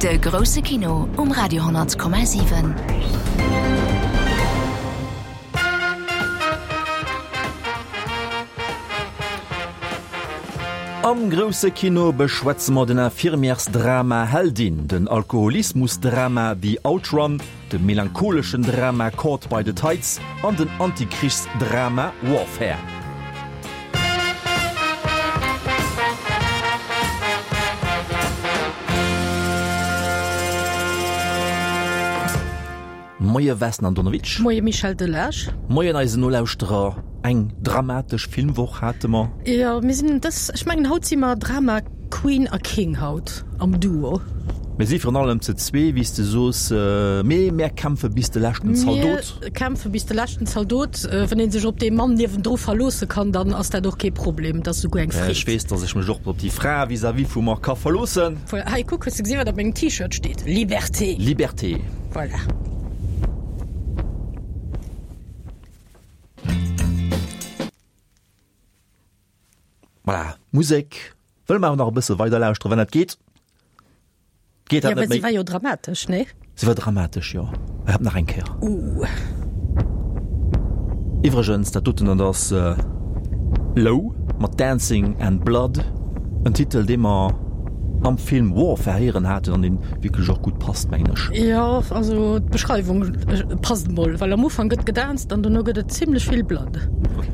De grousse Kino um Radio 10,7. Am grousse Kino beschwätze mer den Infirmièresdrama Heldin, den Alkoholismusdrama The Outrun, de melancholeschen Drama Caught by the Tides an den Antikrichsdrama Warfare. Moie Vesna Andonovic. Moie Michel Delage. Moien eisen Nolauschterer. Eng dramatesch Filmwoch hate mer. Jo, mir sinn dës, ech mengen haut si mer Drama Queen a King haut am Duo. Mir si virun allem ze zwee, wéi s de soos, mee mär kämpfe bis de leschten Zaldot. Mir kämpfe bis de leschten Zaldot. Wann ee sech op dee Mann niewendru verloosse kann, dann ass dat och kee Problem, dat ass souguer eng Freed. Ech weess, dass ech mech och op déi Fra vis-à-vis vu mer ka verloossen. Voilà, hei kuck, hues de gesinn, wat op mengem T-Shirt steet? Liberté! Liberté! Voilà. Voilà, Musek wëlle mer awer nach e bësse weider lauschteren, wann dat geet. Geet dat net méi? Si war jo dramatesch, nee? Si war dramatesch, jo. Ech hab nach eng Kéier. Uh. Iwwregens, dat doten, dat ass Low mat Dancing and Blood, en Titel, dee mer am Film Warfare héieren haten an dee wierklech och gutt passt, mengen ech. Jo, also d'Beschreiwung passt emol, well am Ufank gëtt gedanzt an dono gëtt et zimlech vill Blood. Ok.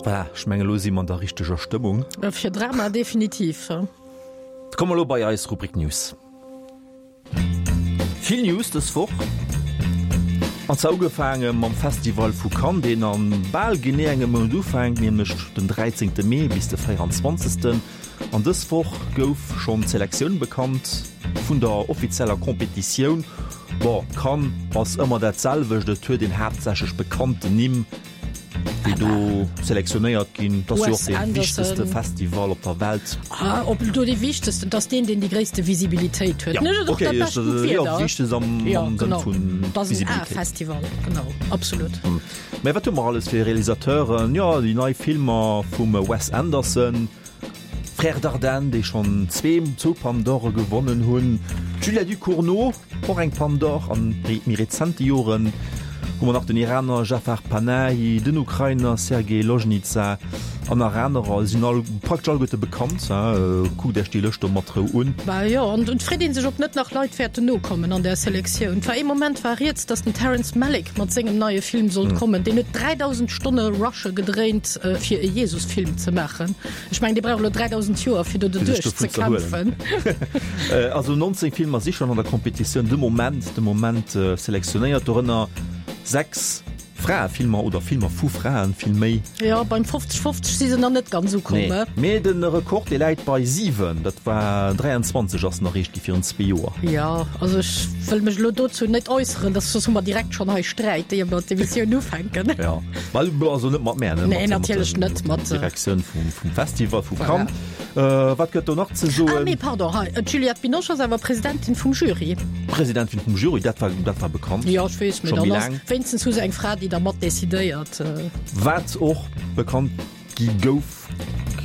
Voilà, ech mengen elo si mer an der richteger Stëmmung. Fir Drama definitiv. Komme mer elo bei eis Rubrik News. Vill News dës Woch, an zwar ugefaange mam Festival vu Cannes, deen a bal genee engem Mount ufänkt, nämlech den 13 Mee bis de 24. An dës Woch gouf schonn d'Selektioun bekannt vun der offizieller Competitioun. Bon, Cannes ass ëmmer dat selwecht, et huet een haaptsächlech bekannten Nimm. Déi do selektionéiert ginn. Dat ass jo och dee wichtegste Festival op der Welt. Ah, ob do dee wichtegsten, dat ass deen, deen déi gréisste Visibilitéit huet. Ja, okay, dat jo, wichtegst am, ja, am genau. Sënn vun Dat ass en Visibilitéit. A-Festival, genau, absolut. Mä wat hu mer alles fir Realisateuren? Jo, déi nei Filmer vum Wes Anderson. Frères Dardenne, déi schonn zwee zwou Palme d'Ore gewonnen hunn, d'Julia Ducournau, och eng Palme d'Or, an méi rezente Joren hu mer nach den Iraner Jafar Panahi, den Ukrainer Sergei Loznitsa an nach anerer. Si sinn all praktesch alleguerte bekannt. Kuckt Iech déi Lëscht do mat Rou un. Bah jo, an et freet ee sech, ob net nach Leit wäerten nokommen an där Selektioun. Et war ee Moment war rieds, datt den Terrence Malick mat sengem neie Film sollt kommen. Deen huet 3.000 Stonne Rushe gedréint, fir e Jesus-Film ze maachen. Ech mengen, dee brauch elo 3.000 Joer, fir do Fir sech doduerch dovun ze ze erhuelen. kämpfen. Also 19 Filmer si schonn an der Competitioun de Moment, de Moment selektionéiert, dorënner 6 Fraefilmer oder Filmer vu Fraen vill méi. Jo, beim 50, 50 si se nach net ganz ukomm. Nee, mee de Rekord, dee läit bei 7, dat war 23 ass en erreecht gi virun zwee Joer. Jo, also ech wëll mech elo dozou net äusseren, dass soss hu mer direkt schonn hei Sträit, éier mer d'Emissioun ufänken. Jo. Well, also net mat mär, ne? Nee, natierlech net mat. Direktioun vum, vum Festival vu Cannes. Voilà. Äh, wat gëtt do nach ze soen? Ah, nee, pardon, hei, d'Juliette Binoche ass awer Presidentin vum Jury. Presidentin vum Jury, dat war, dat war bekannt. Jo, ech weess, mee Scho méi dann ass laang. wéinstens hu se eng Fra, déi da mat decidéiert. Wat och bekannt gi gouf,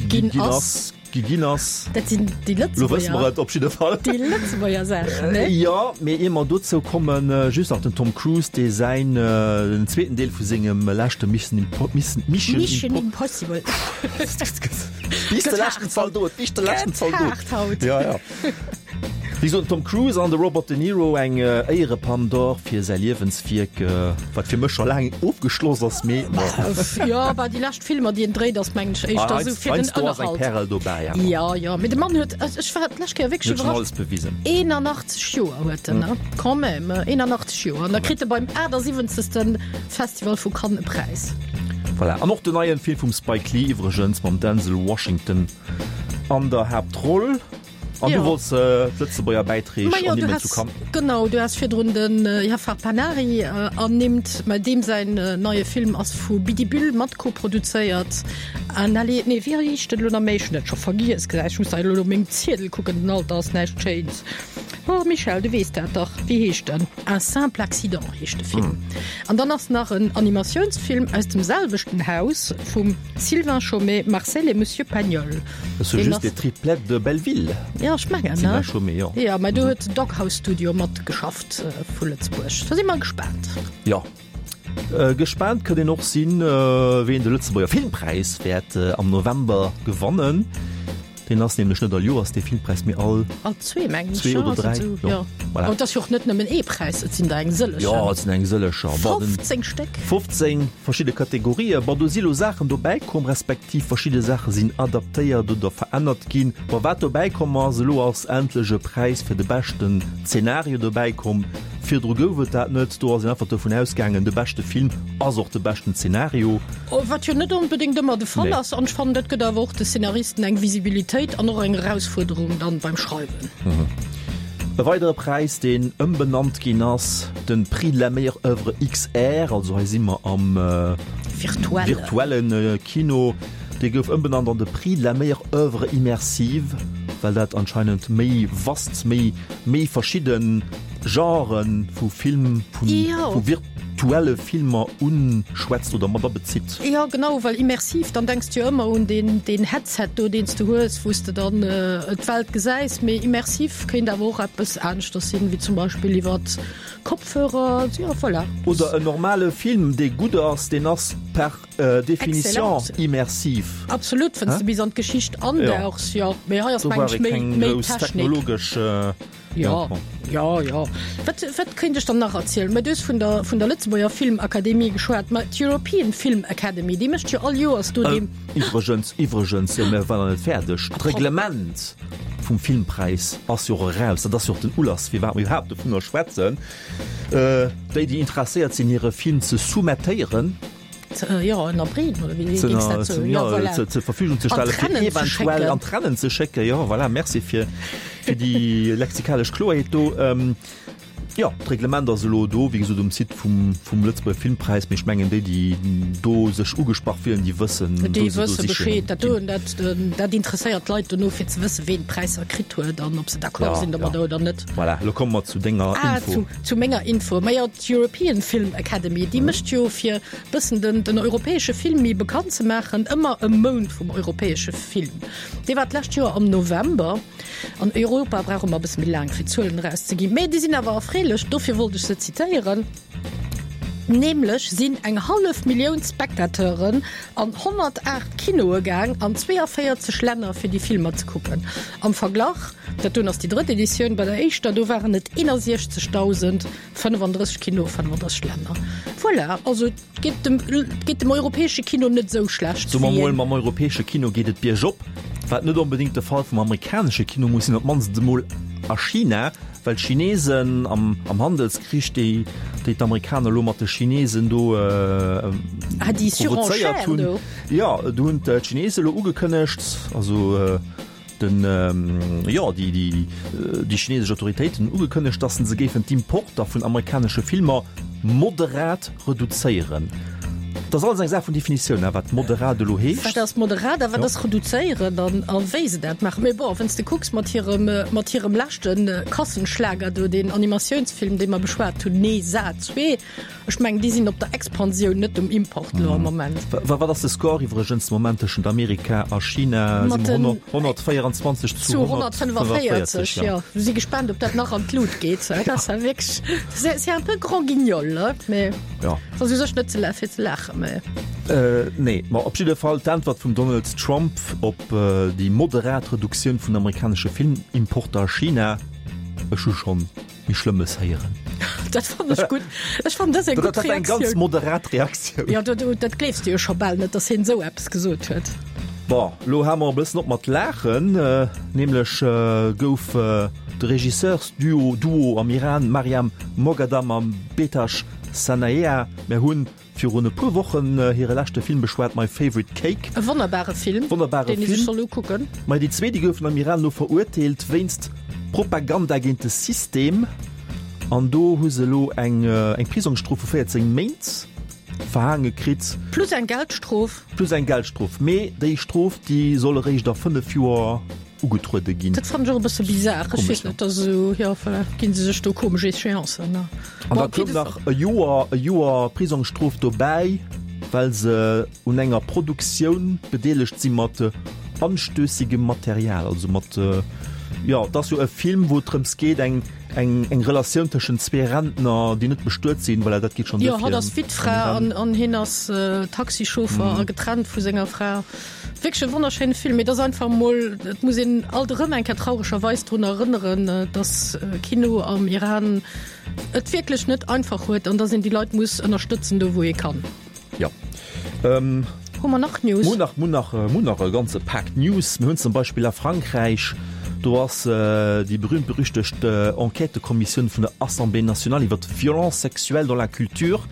Ginn ginn ass. ass. Gi ginn ass. Dat sinn déi Lo wësse mer Lëtzebuerger, et op jidde Fall. déi Lëtzebuerger Saachen, ne? Jo, mee ier mer dozou kommen, just nach den Tom Cruise, dee säin, den zweeten Deel vu sengem leschte Mission Impo-, Mission, Mission Impo-. Impossible. Bis de leschten Zaldot, bis de leschten Gëtt Zaldot. haart haut. Ja, ja. Wéi gesot, den Tom Cruise an de Robert De Niro eng Éierepalme d'Or fir säi Liewenswierk, wat fir mech scho laang ofgeschloss ass, mee bon. Jo, bah, déi lescht Filmer, déi en dréit, ass mengen ech éischter esou fir den Heiansdo ass eng Ënnerhalt. Pärel dobäi awer. Jo, jo, mee de Mann huet, ech war d'lescht Kéier wierklech Huet schonn iwwerrascht, alles bewisen. 81 Joer huet en, ne? Quand même, 81 Joer. An da kritt e beim 78. Festival vu Cannes e Präis. Voilà, an och den neien Film vum Spike Lee iwwregens mam Denzel Washington an der Haaptroll. An du wolls d'Lëtzebuerger Bäiträg ernimmen zu Cannes. Genau, du has virdrun den Jafar Panahi ernimmt. Mä deem säin neie Film ass vu Bidibüll mat koproduzéiert. An allez, nee, wéi heescht en elo nach méi? Ech hunn dat scho vergiess. Gesäis, ech muss da elo op mengem Ziedel kucken, den Alter ass näischt Schéins. Oh Michèle, du weess dat dach. Wéi heescht en? Un simple accident heescht de Film. An dann ass nach en Animatiounsfilm aus dem selwechten Haus vum Sylvain Chomet, Marcel et Monsieur Pagnol. Dat ass jo just de Triplette de Belleville. Jo, ech mengen, ne? Sylvain Chomet, jo. Jo, mä do huet Doghouse Studio matgeschafft vu Lëtzebuerg. Da si mer gespaant. Jo, gespaant kënnt een och sinn, ween de Lëtzebuerger Filmpräis wäert am November gewannen. Deen ass nämlech net all Joers, dee Filmpräis, mee all. All zwee, mengen ech. Zwee oder dräi, jo. Voilà. An et ass jo och net nëmmen ee Präis, et sinn der eng sëllechen. Jo, et sinn eng sëllecher. 15 Stéck. 15 verschidde Kategorien. Bon, do si lo Saachen dobäi komm, respektiv verschidde Saache sinn adaptéiert oder verännert ginn. Bon, wat dobäi komm ass, elo ass endlech e Präis fir de beschten Zenario dobäi komm. Virdru gouf et dat net. Do ass een einfach dovun ausgaangen, de beschte Film ass och de beschten Zenario. Wat jo net onbedéngt ëmmer de Fall Nee. ass. An ech fannen, dat gëtt awer och de Szenaristen eng Visibilitéit an och eng Erausfuerderung dann beim Schreiwen. E weidere Präis, deen ëmbenannt ginn ass, de Prix de la meilleure œuvre XR, also hei si mer am virtuelle Kino, dee gouf ëmbenannt an de Prix de la meilleure œuvre immersive, well dat anscheinend méi vast, méi méi verschidde Genrë vu Film, vu virtuelle Filmer unschwätzt oder mat abezitt. Jo genau, well immersiv, dann denks de jo ëmmer un deen deen Headset do, deen s de hues, wou s de dann d'Welt gesäis. Mee immersiv kéint awer och eppes aneschters sinn, wéi zum Beispill iwwert Kopfhörer, jo voilà. Oder en normale Film, dee gutt ass, deen ass per Definition immersiv. Absolut, wann s de bis an d'Geschicht andauchs, jo. Mee hei ass Do meng brauch ech ee méi keng méi grouss Technik. technologesch. Jo. Jo, jo. Wat, wat kéint ech dann nach erzielen? Mä du hues vun der, vun der Lëtzebuerger Filmakademie geschwat. Mä d'European Film Academy, déi mécht jo all Joers do dee. Iwwregens, iwwregens, mir waren nach net fäerdeg. D'Reglement vum Filmpräis ass jo och eraus. Dat ass jo och den Ulass, firwat mir iwwerhaapt dovunner schwätzen. Déi, déi interesséiert sinn, hire Film ze soumettéieren, Jo, ënnerbreeden, oder wéi géings dat soen? Jo, voilà. Zur Verfügung ze stellen, fir eventuell an d'Rennen ze schécken. Jo, voilà, merci fir, fir déi lexikalesch Kloerheet do. Jo, d'Reglement ass elo do, wéi gesot, um Site vum, vum Lëtzebuerger Filmpräis. Mee ech mengen, déi, déi do sech ugesprach fillen, déi wëssen, Déi wou se do wësse sichen Bescheed. Dat do, dat, dat interesséiert d'Leit dono, fir ze wëssen, ween d'Präisser kritt huet an ob se d'accord Ja, sinn domadder ja. oder net. Voilà, elo komme mer zu denger Ah, Info. zu, zu menger Info. Majo, d'European Film Academy, déi mécht jo, fir bëssen den, den europäesche Film méi bekannt ze maachen, ëmmer e Mount vum europäesche Film. Dee war d'lescht Joer am November. An Europa brauch ëmmer e bësse méi laang fir Zuelen erauszeginn, mä déi sinn awer erfreelech, dofir wollt ech se zitéieren. Nämlech sinn eng hallef Millioun Spectateuren an 108 Kinoe gaang an 42 Länner fir déi Filmer ze kucken. Am Verglach, dat doen ass déi drëtt Editioun, bei der éischter do waren et 61.035 Kinoe, 35 Länner. Voilà, also. Geet dem, geet dem europäesche Kino net esou schlecht. Soe mer mol, mam europäesche Kino geet et biergop, wat net onbedéngt de Fall vum amerikanesche Kino muss sinn, op d'mannst emol a China, well d'Chinesen am, am Handelskrich, déi, déi d'Amerikaner elo mat de Chinesen do ah, déi provozéiert hunn, jo, do hunn d'Chinesen elo ugekënnegt, also Den, jo, déi, déi, déi chinesesch Autoritéiten hunn ugekënnegt, datt se géifen d'Importer vun amerikanesche Filmer moderat reduzéieren. Dat ass alles eng Saach vun Definitioun, wat moderat elo heescht. Wat ass moderat a wat ass reduzéieren an a wéi se dat maachen. Mee bon, wann s de kucks mat hirem, mat hirem leschte Kassenschlager do, deen Animatiounsfilm, dee mer beschwat hunn, Nee Sa 2, Ech mengen, déi sinn op der Expansioun, net um Import elo am Moment. Wat ass de Score iwwregens de Moment tëschent Amerika a China? Mat Si mer 124 zu 145, jo. Si gespaant, ob dat nach an d'Lut geet. Dat ass ja wierklech, c'est un peu grand guignol, ne? Mee jo. Ass u sech net ze fir ze laachen, mee. Nee, ma op jidde Fall d'Äntwert vum Donald Trump op déi moderat Reduktioun vun amerikanesche Filmimporter a China, Ech hu schonn Méi Schlëmmes héieren. Dat fannen ech gutt. Ech fannen dat eng gutt Reaktioun. Eng ganz moderat Reaktioun. Jo, dat, dat gleefs de jo scho bal net, datt hien esou eppes gesot huet. Bon, lo hale mer e bëssen op mat laachen. Nämlech gouf de Regisseursduo Duo am Iran Maryam Moghaddam a Behtash Sanaeeha, mir hunn Virun e puer Wochen hire leschte Film beschwat, My Favorite Cake. E wonnerbare Film, wonnerbare deen ee sech soll ukucken. Ma déi zwee, déi goufen am Iran elo verurteelt wéinst Propaganda géint de System. An do hu se elo eng eng Prisongsstrof vu 14 Méint verhaange kritt. Plus eng Geldstrof. Plus eng Geldstrof. Mee déi Strof, déi soll eréischt a 5 Joer ugetruede ginn. Dat fannen ech och e bësse bizar. Ech weess net, dat ass esou, jo, voilà, ginn se sech do komesch Échéancen, ne? An da koum nach e Joer, e Joer Prisongsstrof dobäi, well se un enger Produktioun bedeelegt si mat anstössigem Material, also mat, jo, et ass jo e Film, wou et drëms geet, eng, eng, eng Relatioun tëschent zwee Rentner, déi net bestuet sinn, voilà, dat geet schonn Jo, hatt ass Wittfra an, an hien ass Taxichauffer a getrennt vu senger Fra. Wierklech e wonnerschéine Film, mee et ass einfach emol, et muss een alt erëm eng Kéier trauregerweis drun erënneren, dass Kino am Iran et wierklech net einfach huet an dass een déi Leit muss ënnerstëtzen do wou ee kann. Jo. Hu mer nach News? Mir hunn nach, mir hunn nach, mir hunn nach e ganze Pak News. Mir hunn zum Beispill a Frankräich, do ass déi berühmt-berüchtegt Enquêtëkommissioun vun der Assemblée nationale iwwer d'Violence sexuelle dans la culture,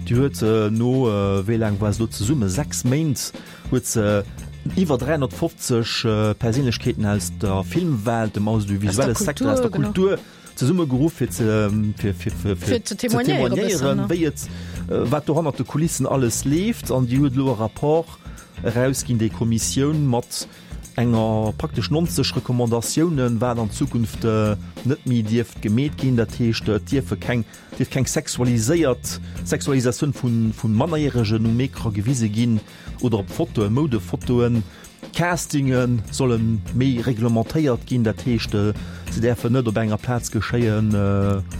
déi huet no, wéi laang war se do zesummen, 6 Méint, huet se iwwer 350 Perséinlechkeeten aus der Filmwelt, dem audiovisuelle Secteur, aus der Kultur zesummegeruff, fir ze fir fir fir fir ze témoignéieren, wéi et wat do hannert de Kulissen alles leeft. An déi huet elo e Rapport erausginn, déi Kommissioun, mat enger praktesch 90 Recommandatiounen, wat an Zukunft net méi dierft gemeet ginn. Dat heescht, et dierfe keng dierf keng sexualiséiert Sexualisatioun vu Mannerjäregen um Ecran gewise ginn. Oder op Fotoen, Moudefotoen. Castinge solle méi reglementéiert ginn, dat heescht, se däerfen net op enger Plaz geschéien.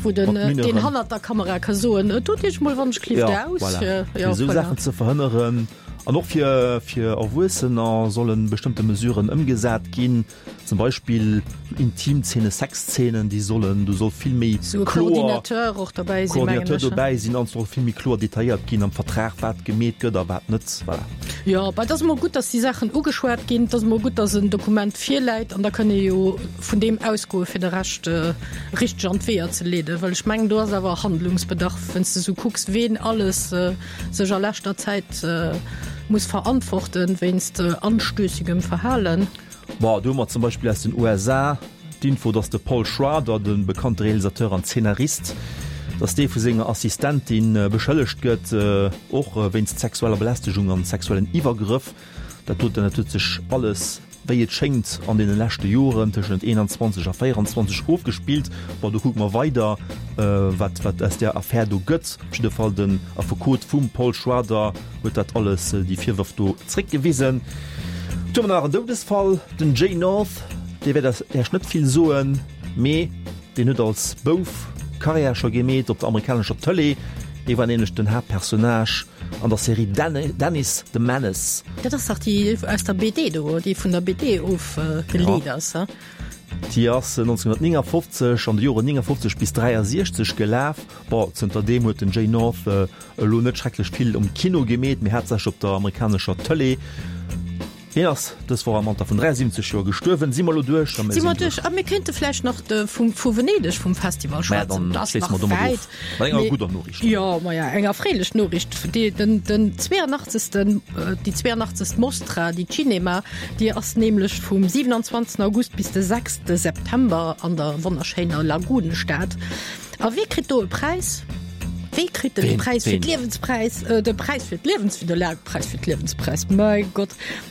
Wou den, deen hannert der Kamera ka soen, Dot Iech mol wann ech klifft aus. Jo, voilà. Fir esou Saachen ze verhënneren. An och fir fir Erwuessener solle bestëmmte Mesuren ëmgesat ginn, zum Beispill Intimzeenen, Sexzeenen, déi sollen, do soll vill méi kloer Coordinateur och dobäi sinn, mengen ech. Coordinateur dobäi sinn an et soll vill méi kloer detailléiert ginn am Vertrag, wat gemeet gëtt a wat net. Voilà. Jo, bah, et ass emol gutt, dass déi Saachen ugeschwat ginn. Et ass emol gutt, dass en Dokument virläit an da kënn ee jo vun deem ausgoe fir de Rescht richteg an d'Weeër ze leeden, well ech mengen, do ass awer Handlungsbedarf, wann s de esou kucks, ween alles sech a leschter Zäit muss verantworten wéinst anstößigem Verhalen. Bon, do hu mer zum Beispill aus den USA d'Info, dass de Paul Schrader, de bekannte Realisateur an Zeenarist, dass dee vu senger Assistentin beschëllegt gëtt, och wéinst sexueller Belästegung an sexuellen Iwwergrëff. Dat doten, dat huet sech alles, wéi et schéngt, an deene leschte Joren tëschent 21 a 24 ofgespillt. Bon, do kucke mer weider, wat, wat aus där Affär do gëtt. Op jidde Fall, den Affekot vum Paul Schrader huet dat alles, déi Virwërf do zréckgewisen. Du hu mer nach en Doudesfall, den Jay North, dee wäert Iech net vill soen, mee deen huet als Bouf Karriär scho gemeet op der amerikanescher Tëlee. Hie war nämlech den Haaptpersonnage an der Serie Dennis the Menace. Dat ass dach déi aus der BD do, déi vun der BD ofgeleet ass, he? Déi ass 1959, an de Joren 59 bis 63 gelaf. Bon, zënter deem huet den Jay North elo net schrecklech vill um Kino gemeet, mee haaptsächlech op der amerikanescher Tëlee. Hien ass dës Woch am Alter vun 73 Joer gestuerwen. Si mer elo duerch? Si mer duerch. A mir kéinte vläicht nach de vum vu Venedeg vum Festival schwätzen. Maja, dann schléisse mer domat of. Mat enger gudder Noriicht. Jo, maja, eng erfreelech Noriicht. Déi, den, den 82. Déi 82. Mostra di Cinema, déi ass nämlech vum 27. August bis de 6. September an der wonnerschéiner Lagunestad. A wee kritt do e Präis? Wee kritt den Präis fir d'Liewenspräis, äh, de Präis fir d'Liewens, fir de La Präis fir d'Liewenspräis, mäi Gott,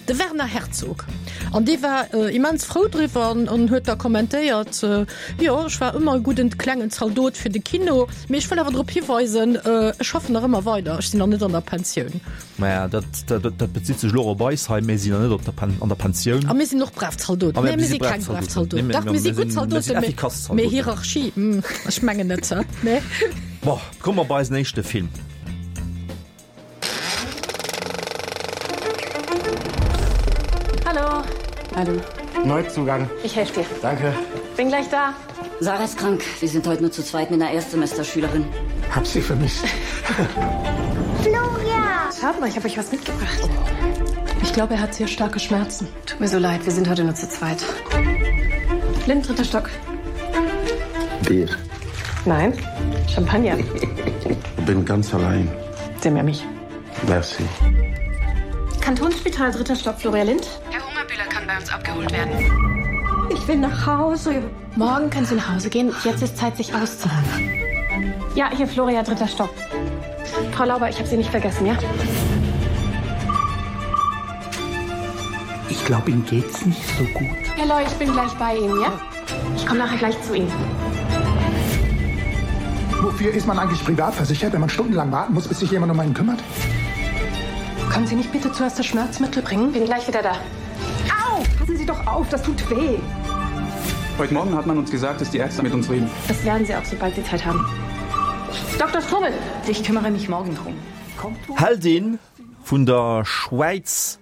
de Werner Herzog. An dee war äh, immens frou driwwer an, an huet da kommentéiert, äh, Jo, ech war ëmmer e gudden klengen Zaldot fir de Kino, mee ech wëll awer drop hiweisen, äh, ech schaffen nach ëmmer weider, ech sinn nach net an der Pensioun. Maja, dat, dat, dat bezitt sech elo och op eis hei. Mir sinn jo net op der Pen, an der Pensioun. A mir sinn och brav Zaldoten. Nee, mir si keng brav Zaldoten. Dach, mir si gutt Zaldoten, mee, mee Hierarchie, hm, ech mengen net, hä? Nee. Bon, komme mer bei eisen éischte Film. Hallo. Hallo. Neuzugang. Ich helfe dir. Danke. Bin gleich da. Sarah ist krank. Wir sind heute nur zu zweit mit einer Erstsemesterschülerin. Hab sie vermisst. Floria! Schaut mal, ich habe euch was mitgebracht. Ich glaube, er hat sehr starke Schmerzen. Tut mir so leid, wir sind heute nur zu zweit. Lind, dritter Stock. Bier. Nein, Champagner. Bin ganz allein. Sie mir mich. Merci. Kantonsspital dritter Stock Floria Lind. Herr Hungerbühler kann bei uns abgeholt werden. Ich will nach Hause. Morgen können Sie nach Hause gehen. Jetzt ist Zeit, sich auszuruhen. Ja, hier Floria, dritter Stock. Frau Lauber, ich habe Sie nicht vergessen, ja? Ich glaube, ihm geht's nicht so gut. Herr Loy, ich bin gleich bei Ihnen, ja? Ich komme nachher gleich zu Ihnen. Wofür ist man eigentlich privat versichert, wenn man stundenlang warten muss, bis sich jemand um einen kümmert? Können Sie nicht bitte zuerst das Schmerzmittel bringen? Bin gleich wieder da. Au! Passen Sie doch auf, das tut weh. Heute Morgen hat man uns gesagt, dass die Ärzte mit uns reden. Das werden sie auch, sobald sie Zeit haben. Dr. Strobel, ich kümmere mich morgen drum. Heldin vun der Schwäiz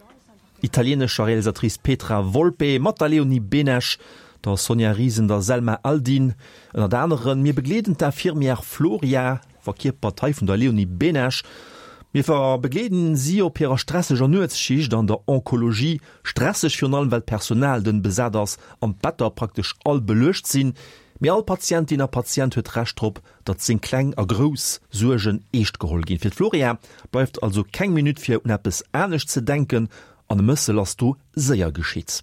italienescher Realisatrice Petra Volpe mat der Leonie Benesch, der Sonja Riesen, der Selma Aldin ënnert aneren. Mir begleeden d'Infirmière Floria, verkierpert hei vun der Leonie Benesch. Mir begleeden si op hirer stresseger Nuetsschicht an der Onkologie. Stresseg virun allem well d'Personal dënn besat ass an d'Better praktesch all beluecht sinn. Mee all Patientin a Patient huet Recht drop, datt seng kleng a grouss Suergen eescht geholl ginn. Fir d'Floria bleift also keng Minutt fir un eppes anescht ze denken an e Mëssel ass do séier geschitt.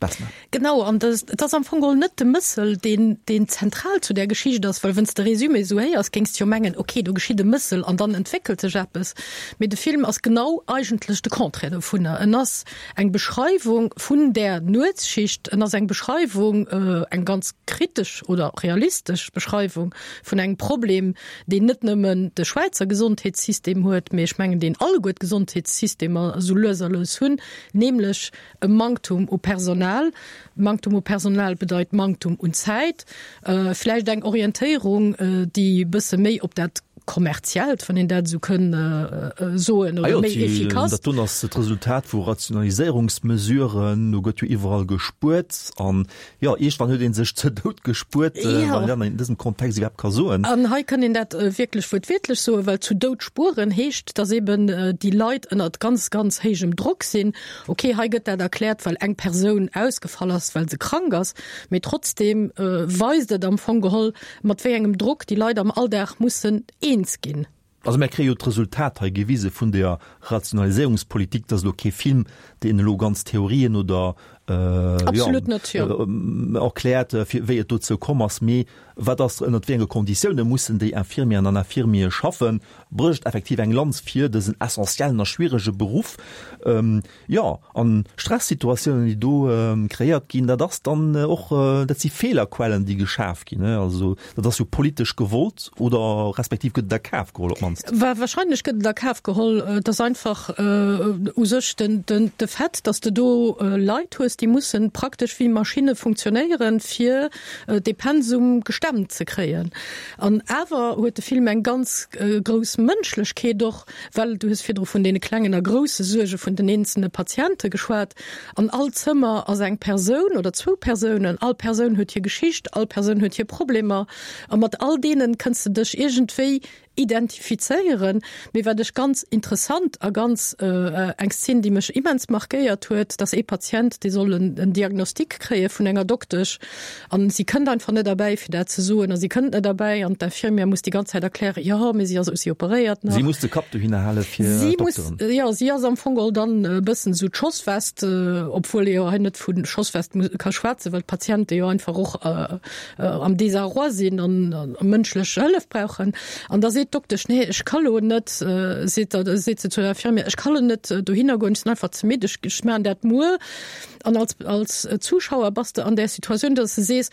Vesna. Genau, an et ass am Fong geholl net de Mëssel, deen, deen zentral zu där Geschicht ass, well wann s de Résumé esou héiers, géings de jo mengen, ok, do geschitt e Mëssel an dann entwéckelt sech eppes. Mee de Film ass genau eigentlech de Contraire dovunner. En ass eng Beschreiwung vun där Nuetsschicht, en ass eng Beschreiwung, eng ganz kritesch oder realistesch Beschreiwung vun engem Problem, deen net nëmmen de Schwäizer Gesondheetssystem huet, mee ech mengen, deen alleguer d'Gesondheetssystemer esou lues a lues hunn, nämlech e Manktum u Personal. Manktum u Personal bedeit Manktum un Zäit, vläicht eng Orientéierung, déi e bësse méi op dat. Kommerziellt, wann een dat esou kënn soen, oder méi efficace. Dat doen ass d'Resultat vu Rationaliséierungsmesuren. Do gëtt jo iwwerall gespuert an, jo, iergendwann huet ee sech ze dout gespuert, wann een dat an dësem Kontext iwwerhaapt ka soen. An hei kann een dat wierklech wuertwiertlech soen, well zu dout spueren heescht, dass eben déi Leit ënnert ganz, ganz héijem Drock sinn. Okay, hei gëtt dat erkläert, well eng Persoun ausgefall ass, well se krank ass, mee trotzdeem weist et am Fong geholl, mat wéi engem Drock déi Leit am Alldag mussen eens ginn. Also mär kréie jo d'Resultat hei gewise vun der Rationaliséierungspolitik. Dat ass elo kee Film, deen elo ganz Theorien oder Absolut net, jo. erkläert, fir wéi et dozou komm ass, mee wat ass, ënnert wéi enge Konditioune mussen déi Infirmieren an Infirmiere schaffen, brécht effektiv eng Lanz fir dësen essentiellen a schwierege Beruff. Jo, an Stressituatiounen, déi do kreéiert ginn, dat ass dann och, dat si Feelerquellen, déi geschaf ginn. Also dat ass jo politesch gewollt oder respektiv gëtt et a Kaf geholl op d'mannst. Wahrscheinlech gëtt et a Kaf geholl. Et ass einfach u sech de Fait, datt s de do Leit hues, déi mussen praktesch wéi Maschinne funktionéieren, fir dee Pensum gestemmt ze kréien. An awer huet de Film eng ganz grouss Mënschlechkeet och, Well du hues virdru vun deene klengen a grousse Suerge vun den eenzelne Patiente geschwat. An all Zëmmer ass eng Persoun oder zwou Persounen. All Persoun huet hir Geschicht, all Persoun huet hir Problemer. A mat all deene kënns de dech iergendwéi identifizéieren. Mee wat ech ganz interessant a ganz eng Szen, déi mech immens markéiert huet, dass ee Patient, dee soll en Diagnostic kréie vun enger Doktesch, An si kënnt einfach net erbäi, fir dat ze soen. A si kënnt net erbäi an d'Infirmière muss déi ganz Zäit erklären, jo, mee si ass, si operéiert nach. Si muss de Kapp dohinner hale fir d'Dokteren. Jo, si ass am Fong geholl dann e bëssen esou d'Schosswest, obwuel ee jo hei net vu Schosswest ka schwätzen, well d'Patiente jo einfach och am Désarroi sinn an mënschlech Hëllef brauchen. An da seet d'Doktesch, nee, ech ka lo net, seet seet se zur Infirmière, ech ka lo net dohinner goen, ech sinn einfach ze midd, ech maachen dat muer. An als, als Zuschauer bass de an där Situatioun, dass de sees,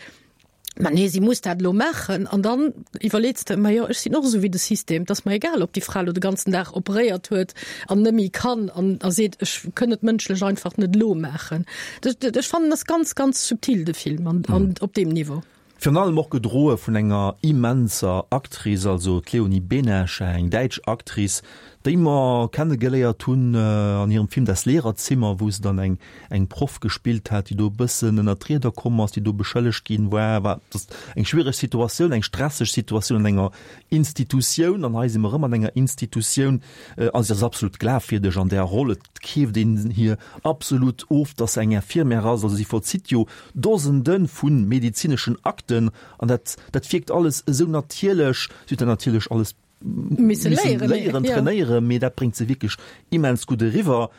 Ma nee, si muss dat elo maachen. An dann iwwerleets de, Ma jo, ech sinn och esou wéi de System, et ass mer egal, ob déi Fra elo de ganzen Dag operéiert huet an net méi kann an a seet, ech kënn et mënschlech einfach net elo maachen. Ech fannen, ass ganz, ganz subtil, de Film, an, an op deem Niveau. Virun allem och gedroe vun enger immenser Actrice, also d'Leonie Benesch, eng däitsch Actrice, déi mer kennegeléiert hunn an hirem Film Das Lehrerzimmer, wou se dann eng eng Proff gespillt hat, déi do e bëssen ënnert d'Rieder komm ass, déi do beschëllegt ginn war. War dat eng schwiereg Situatioun, eng stresseg Situatioun an enger Institutioun. An hei si mer erëm an enger Institutioun. A si ass absolut glafwierdeg an där Roll. Et keeft een hir absolut of, dass se eng Infirmière ass. Also si vollzitt jo Dosende vu medezineschen Akten an dat, dat wierkt alles esou natierlech. Si huet dat natierlech alles misse léieren, trainéieren, mee dat bréngt se wierklech immens gutt eriwwer.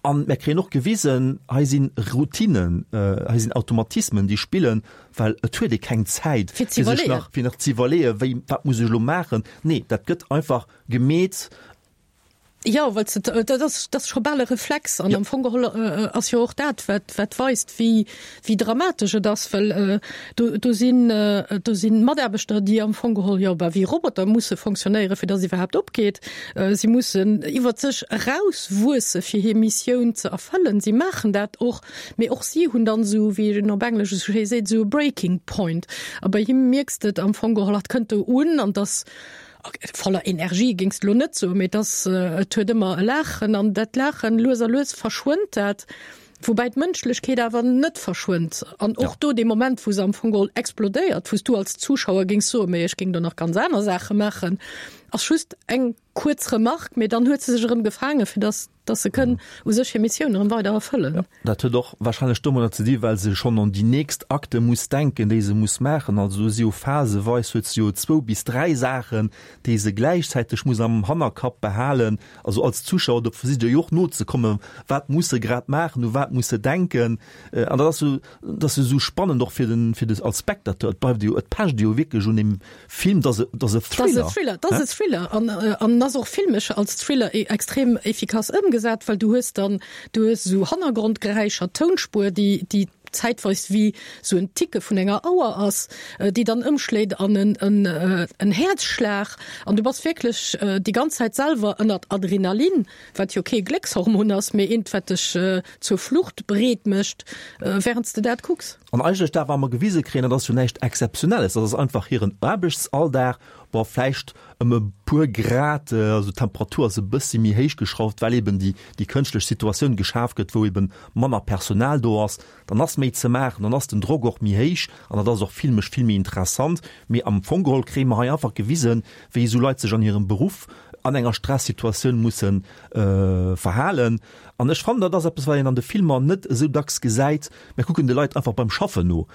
An mär kréien och gewisen, hei si Routinen, hei sinn Automatismen, déi spillen, well et huet ee keng Zäit, fir sech nach, fir nach ze iwwerleeën, wéi, wat muss ech elo maachen. Nee, dat gëtt einfach gemeet. Jo, well se, dat ass, dat ass scho bal e Reflex. An am Fong geholl ass jo och dat, wat, wat weist, wéi, wéi dramatesch et ass, well do, do sinn, do sinn Mataarbechter, déi am Fong geholl, jo, bah, wéi Roboter musse fonctionnéieren, fir dass iwwerhaapt opgeet. Si mussen iwwert sech erauswuesse fir hir Missioun ze erfëllen. Si maachen dat och, mee och si hunn dann esou, wéi een op Englesch esou schéi seet, esou e Breaking Point. A bei him mierks de et am Fong geholl, hatt kënnt do un an dass, Voller Energie géings de lo net soen, mee et ass, et huet ëmmer e Laachen an dat Laachen, lues a lues verschwënnt dat, woubäi d'Mënschlechkeet awer net verschwënnt. An och do dee Moment, wou se am Fong geholl explodéiert, wou s du als Zuschauer géings soen, mee ech géing do nach ganz aner Saache maachen, ass just eng kuerz Remarque, mee dann huet se sech erëm gefaangen, fir dass dass se kënn u sech hir Missioun erëm weider erfëllen. Jo, dat huet och wahrscheinlech domadder ze di well se schonn un déi nächst Akte muss denken, déi se muss maachen. Also do si jo phaseweis huet se jo zwou bis dräi Saachen, déi se gläichzäiteg muss am Hannerkapp behalen. Also als Zuschauer, do versicht Der jo och nozekommen, wat muss se grad maachen, u wat muss se denken. An dat ass jo, dat ass jo esou spannend och fir den, fir de als Spectateur. Et bleift jo, et pecht jo wierklech un deem Film, dat ass e Thriller. Dat ass e Thriller, dat ass e Thriller an an ass och filmesch als Thriller e extrem efficace ëmgesat, well du hues dann, du hues esou Hannergrondgeräischer, Tounspuer, déi déi zäitweis wéi esou en Ticke vun enger Auer ass, déi dann ëmschléit an en en en Häerzschlag an du bass wierklech déi ganz Zäit selwer ënnert Adrenalin, wat jo kee Gléckshormon ass, mee eent, wat dech zur Flucht bereet mécht, wärend s de dat kucks. An eigentlech dat, wat mer gewise kréien, dat ass jo näischt Exzeptionelles, dat ass einfach hiren Aarbechtsalldag. Bon, vläicht ëm e puer Grad, also d'Temperatur ass e bëssi méi héich geschrauft, well eben déi, déi kënschtlech Situatioun geschaf gëtt, wou eben manner Personal do ass. Dann ass méi ze maachen, dann ass den Drock och méi héich an dat ass och filmesch vill méi interessant. Mee am Fong geholl kréie mer hei einfach gewisen, wéi esou Leit sech an hirem Beruff an enger Stressituatioun musse verhalen. An ech fannen, dat ass eppes, wat een an de Filmer net esou dacks gesäit. Mir kucken de Leit einfach beim Schaffen no.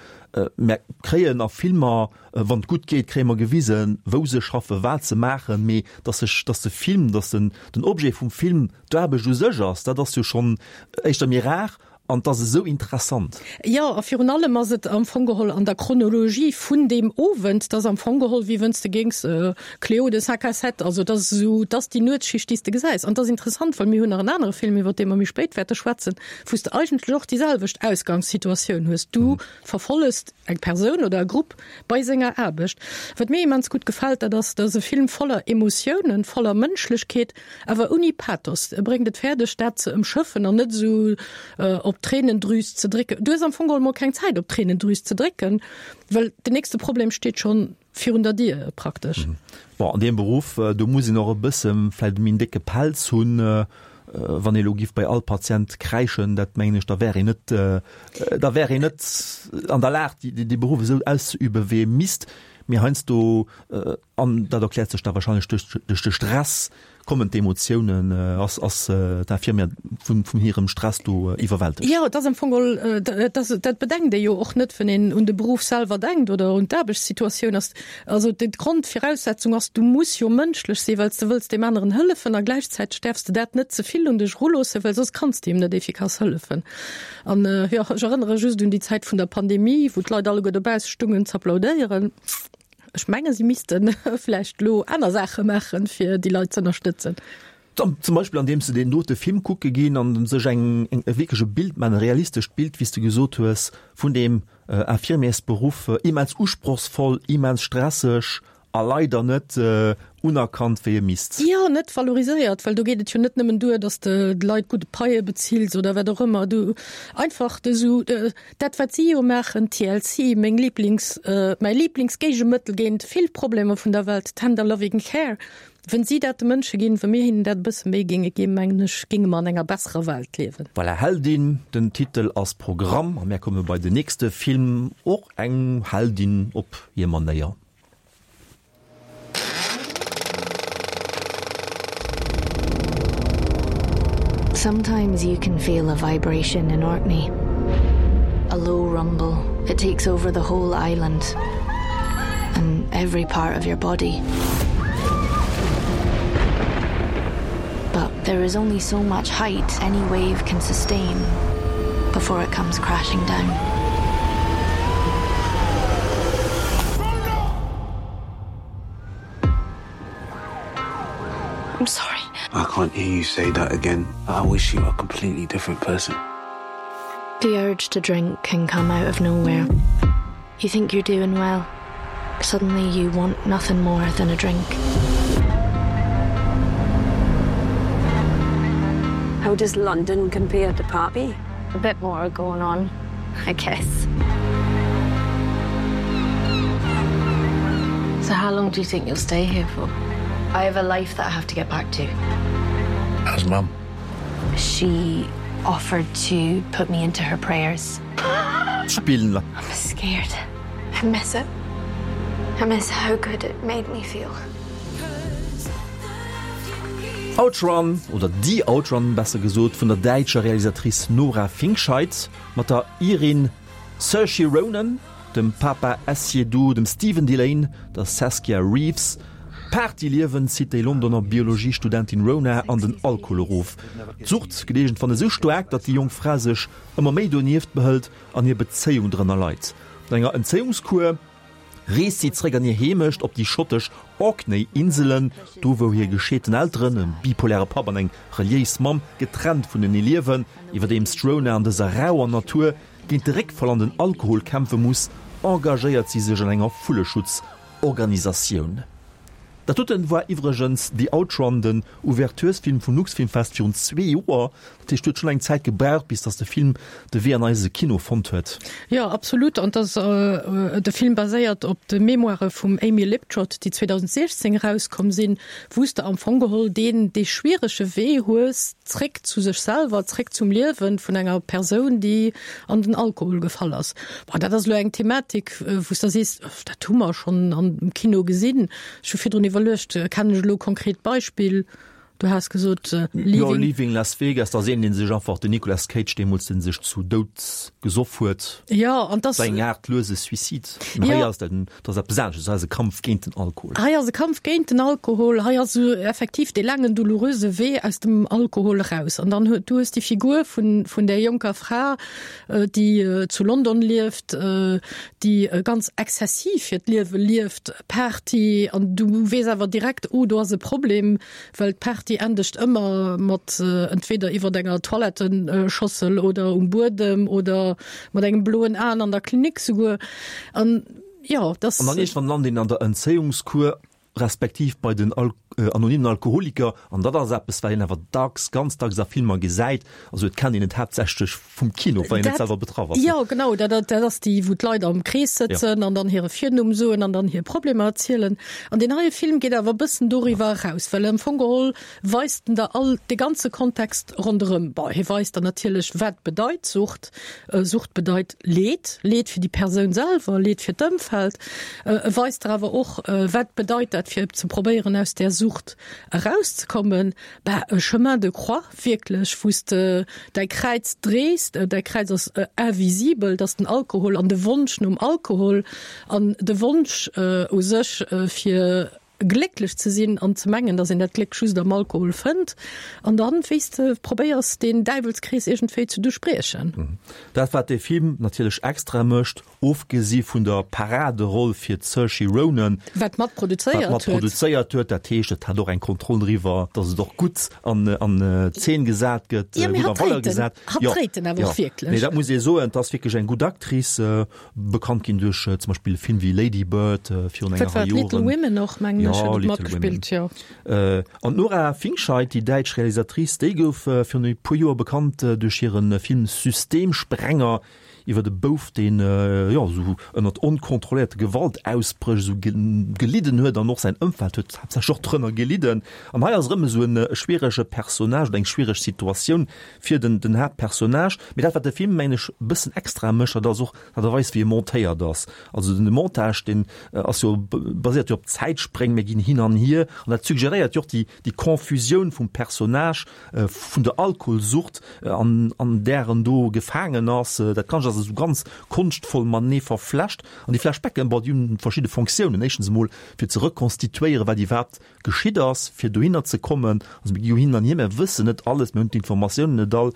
Mer kréien a Filmer, wann et gutt geet, kréie mer gewisen, wou se schaffen, wat se maachen, mee dass sech, dass de Film, dass den, den Objet vum Film d'Aarbecht u sech ass, dat ass jo schonn éischter méi rar an et ass esou interessant. Jo, a virun allem ass et am Fong geholl an der Chronologie vun deem Owend, et ass am Fong geholl, wéi wënns de géings Cléo de cinq à sept, also et ass esou, et ass déi Nuetsschicht, déi s de gesäis. An et ass interessant, well mir hunn nach en anere Film, iwwer dee mer méi spéit wäerte schwätzen, wou s de eigentlech och déi selwecht Ausgangssituatioun hues. Du verfollest eng Persoun oder e Grupp bei senger Aarbecht. Wat mir immens gutt gefält, dat ass, dat ass e Film voller Emotiounen, voller Mënschlechkeet, awer ouni Pathos. E bréngt et fäerdeg, dat ze ëmschëffen an net esou op d'Tréinendrüs ze drécken. Du hues am Fong geholl mol keng Zäit, op d'Tréinendrüs ze drécken, well den nächste Problem steet schonn virun der Dier praktesch. Bon, an deem Beruff, do muss een och e bësse vläicht méi en décke Pelz hunn. Wann ee lo giff bei all Patient kräischen, dat mengen ech, da wär een net, da wär een net an der Lag, dee Beruff esou auszeüben, wéi ee misst. Mee heiansdo, an dat erkläert sech da wahrscheinlech duerch duerch de Stress, kommen d'Emotiounen, ass ass d'Infirmière vun vun hirem Stress do iwwerwältegt. Jo, et ass am Fong geholl, dat ass, dat bedenkt ee jo och net, wann een un de Beruff selwer denkt oder un d'Aarbechtssituatioun. Ass also d'Grondviraussetzung ass, du muss jo mënschlech sinn, well s de wëlls deem aneren hëllefen a gläichzäiteg däerfs de dat net ze vill un dech eruloossen, well soss kanns de him net efficace hëllefen. An jo, ech erënnere just un déi Zäit vun der Pandemie, wou d'Leit alleguer dobausse stungen z'applaudéieren. Ech menge si misste vläicht elo aner Saache maachen, fir déi Leit z'ënnerstëtzen. Zum Beispill andeems se deen dote Film kucke ginn an sech eng e wierklech e Bild maachen, e realistescht Bild, wéi s de gesot hues, vun deem Infirmiersberuff, immens usprochsvoll, immens stresseg a leider net unerkannt, wéi e misst. Jo, net valoriséiert, well do geet et jo net nëmmen duer, datt s de d'Leit gutt Paie bezills oder wat och ëmmer. Du einfach de sou. Dat wat si jo maachen, TLC, meng Lieblings, mäi Lieblingsgéigemëttel géint vill Problemer vun der Welt, Tender Loving Care, wënn si dat de Mënsche ginn, wa mir hinnen dat e bësse méi géinge ginn, mengen ech, géinge mer an enger besserer Welt liewen. Voilà, Heldin, den Titel ass Programm a mär komme bei den nächste Film, och eng Heldin op hir Manéier. Sometimes you can feel a vibration in Orkney. A low rumble it takes over the whole island and every part of your body. But there is only so much height any wave can sustain before it comes crashing down. I'm sorry. I can't hear you say that again. I wish you were a completely different person. The urge to drink can come out of nowhere. You think you're doing well. Suddenly you want nothing more than a drink. How does London compare to Poppy? A bit more going on, I guess. So how long do you think you'll stay here for? I have a life that I have to get back to. How's mum? She offered to put me into her prayers. Spillen. I'm scared. I miss it. I miss how good it made me feel. Outrun, oder The Outrun besser gesot, vun der däitscher Realisatrice Nora Fingscheidt mat der Irin Saoirse Ronan, dem Paapa Essiedu, dem Stephen Dillane, der Saskia Reeves. D'Partyliewen zitt déi Londoner Biologiestudentin Rona an den Alkohol erof. D'Sucht gëtt iergendwann esou staark, datt déi jonk Fra sech ëmmer méi donieft behëlt an hir Bezéiung drënner leit. No enger Entzéiungskur reest si zeréck an hir Heemecht op déi schottesch Orkney-Inselen, do wou hir gescheeten Elteren, e bipoläre Papp an eng reliéis Mamm, getrennt vunenee liewen. Iwwerdeems d'Rona an dëser rauer Natur géint de Réckfall an den Alkohol kämpfe muss, engagéiert si sech an enger Vulleschutzorganisatioun. Dat doten war iwwregens The Outrun, den Ouverturesfilm vum Luxfilmfest virun zwee Joer. Dat heescht, huet schonn eng Zäit gebraucht, bis datt de Film de Wee an eise Kino fonnt huet. Jo, absolut. An dass de Film baséiert op de Memoire vum Amy Liptrot, déi 2016 erauskomm sinn, wou s de am Fong geholl deen dee schwierege Wee hues zréck zu sech selwer, zréck zum Liewen vun enger Persoun, déi an den Alkohol gefall ass. Bon, dat ass elo eng Thematik, wou s de sees, dat hu mer schonn am Kino gesinn. Ech hu virdrun iwwerluecht, kennen ech elo e konkret Beispill? Du has gesot Leaving. Jo, Leaving Las Vegas, dat ass een, dee sech einfach, den Nicolas Cage deemools, dee sech zu Doud gesoff huet. Jo, an dass. War eng Aart luese Suicide. Mä hei ass dat, dat ass eppes anesches, hei ass e Kampf géint den Alkohol. Hei ass e Kampf géint den Alkohol, hei ass esou effektiv dee laangen, doulouröse Wee aus dem Alkohol eraus. An dann huet, du hues déi Figur vun, vun där jonker Fra, déi zu London lieft, déi ganz exzessiv hiert Liewe lieft, Party, an du weess awer direkt, oh do ass e Problem, well d'Party endegt ëmmer mat entweder iwwert enger Toiletteschossel oder um Buedem oder mat engem bloen Aen an der Klinik souguer. An jo, dass. An dann iergendwann lant een an der Entzéiungskur respektiv bei den anonymen Alkoholiker, an dat ass eppes, wat een awer dacks, ganz dacks a Filmer gesäit, also et kennt een et haaptsächlech vum Kino, wann een net selwer betraff ass. Jo, genau, dat dat ass déi, wou d'Leit am Krees sëtzen an dann hire Virnumm soen an dann hir Problemer erzielen. An deen heie Film geet awer e bëssen doriwwer eraus, well am Fong geholl weist en der all de ganze Kontext ronderëm. Bon, hie weist der natierlech, wat bedeit Sucht. Sucht bedeit Leed, Leed fir déi Persoun selwer, Leed fir d'Ëmfeld. E weist der awer och, wat bedeit dat fir ze probéieren aus där Sucht erauszekommen. Bah, e Chemin de croix wierklech, wou s de däi Kräiz drees. Däi Kräiz ass invisibel, dat ass den Alkohol an de Wonsch nom Alkohol an de Wonsch u sech fir glécklech ze sinn an ze mengen, datt een dat Gléck just am Alkohol fënnt. An dann, wéi s de probéiers, deen Däiwelskrees iergendwéi ze duerchbriechen. Dat, wat dee Film natierlech extra mécht, ofgesi vun der Paraderoll fir d'Saoirse Ronan, Wat mat produzéiert wat mat huet. produzéiert huet, dat heescht, et hat och eng Kontroll driwwer, datt et och gutt an an Zeen gesat gëtt, Jo, mee gutt a hatt Valeur dréit en, gesat. hatt Jo, dréit en awer jo. och wierklech. Mee dat muss ee soen, et ass wierklech eng gutt Actrice. Bekannt ginn duerch zum Beispill e Film wéi Lady Bird virun enger Rei Joren. Little Women och, mengen ech, huet et matgespillt, jo. An d'Nora Fingscheidt, déi däitsch Realisatrice, déi gouf virun e puer Joer bekannt duerch hire Film Systemsprenger iwwer e Bouf, deen, jo, esou ënnert onkontrolléierte Gewaltausbréch esou gelidden huet an och säin Ëmfeld huet haaptsächlech och drënner gelidden. An hei ass erëm esou e schwierege Personnage oder eng schwiereg Situatioun, fir den den Haaptpersonnage. Mee dat wat de Film mengen ech e bëssen extra mécht, dat ass och d'Aart a Weis wéi e montéiert ass. Also den Montage deen ass jo baséiert jo op Zäitspréng, mir ginn hin an hier an dat suggeréiert jo och déi déi Confusioun vum Personnage, vun der Alkoholsucht an an där en do gefaangen ass. Dat Ganzt ass esou ganz konschtvoll matenee verflecht an déi Flashbacken, bon déi hunn verschidde Fonctiounen. Éischtens emol fir ze rekonstituéieren wat iwwerhaapt geschitt ass, fir dohinner ze kommen. Also mir gi jo hin an hier, mir wëssen net alles, mir hunn d'Informatiounen net all.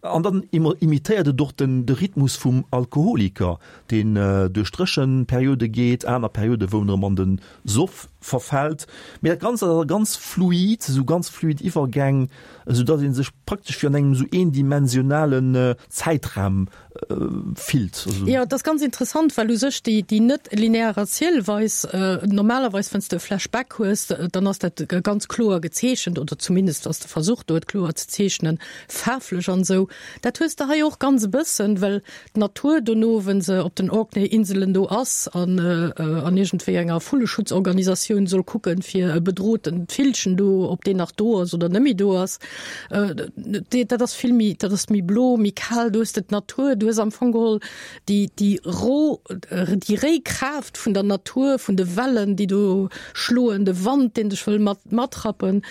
An dann imitéiert et och den de Rhythmus vum Alkoholiker, deen duerch Dréchenperiode geet, aner Periode wou en erëm an de Soff verfält. Mee dat Ganzt ass awer ganz fluid, esou ganz fluid Iwwergäng, esou datt ee sech praktesch wéi an engem esou eendimensionalen Zäitraum fillt. Jo, et ass ganz interessant, well u sech déi, déi net linear Erzielweis, normalerweis wann s de e Flashback hues, dann ass dat ganz kloer gezeechent oder zumindest ass de Versuch do et kloer ze zeechnen, faarflech an esou. Dat hues de hei och ganz e bëssen, well d'Natur dono, wenn se op den Orkney-Inselen do ass an an iergendwéi enger Vulleschutzorganisatioun soll kucken, fir e bedrohten Villchen do, ob deen nach do ass oder net méi do ass, Dat ass vill méi, dat ass méi blo, méi kal, do hues de d'Natur, du hues am Fong geholl déi, déi ro, déi réi Kraaft vun der Natur, vun de Wellen, déi do schloen, de Wand, deen dech wëll mat, matrappen,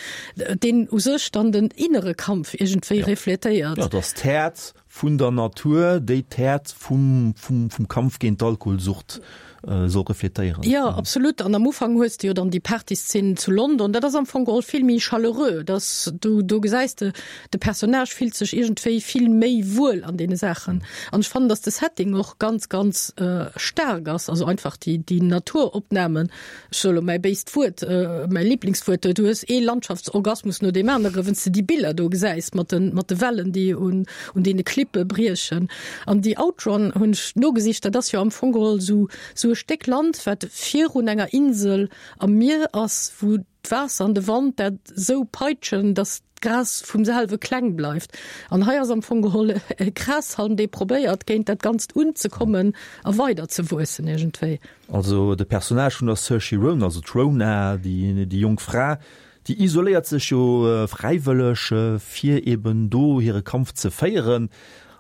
deen u sech dann den innere Kampf iergendwéi refletéiert. Jo, et ass d'Häert Vun der Natur, déi d'Häert vum, vum, vum Kampf géint d'Alkoholsucht soll refletéieren. Jo, absolut. An am Ufank hues de jo dann déi Partyszenen zu London. Dat ass am Fong geholl vill méi chaleureux. Dass du, do gesäis de, de Personnage fillt sech iergendwéi vill méi wuel an deene Saachen. An ech fannen, dass de Setting och ganz, ganz staark ass. Also einfach déi, déi Naturopnamen. Ech soe lo mäi béist Wuert, mäi Liblingswuert, du hues ee Landschaftsorgasmus no deem anere, wenn's de déi Biller do gesäis mat de, mat de Wellen, déi un, un deene Klippe briechen. An déi Outrun hunn ech nogesicht, dat ass jo am Fong geholl esou, esou. esou e Stéck Land, wat virun enger Insel am Mier ass, wou d'Waasser an de Wand dat esou peitschen, dass d'Gras vum selwe kleng bleift. An hei ass am Fong geholl e Grashalm, dee probéiert, géint dat Ganzt unzekommen a weider ze wuessen iergendwéi. Also de Personnage vun der Saoirse Ronan, also d'Rona, déi jonk Fra, déi isoléiert sech jo fräiwëlleg, fir eben do hire Kampf ze féieren.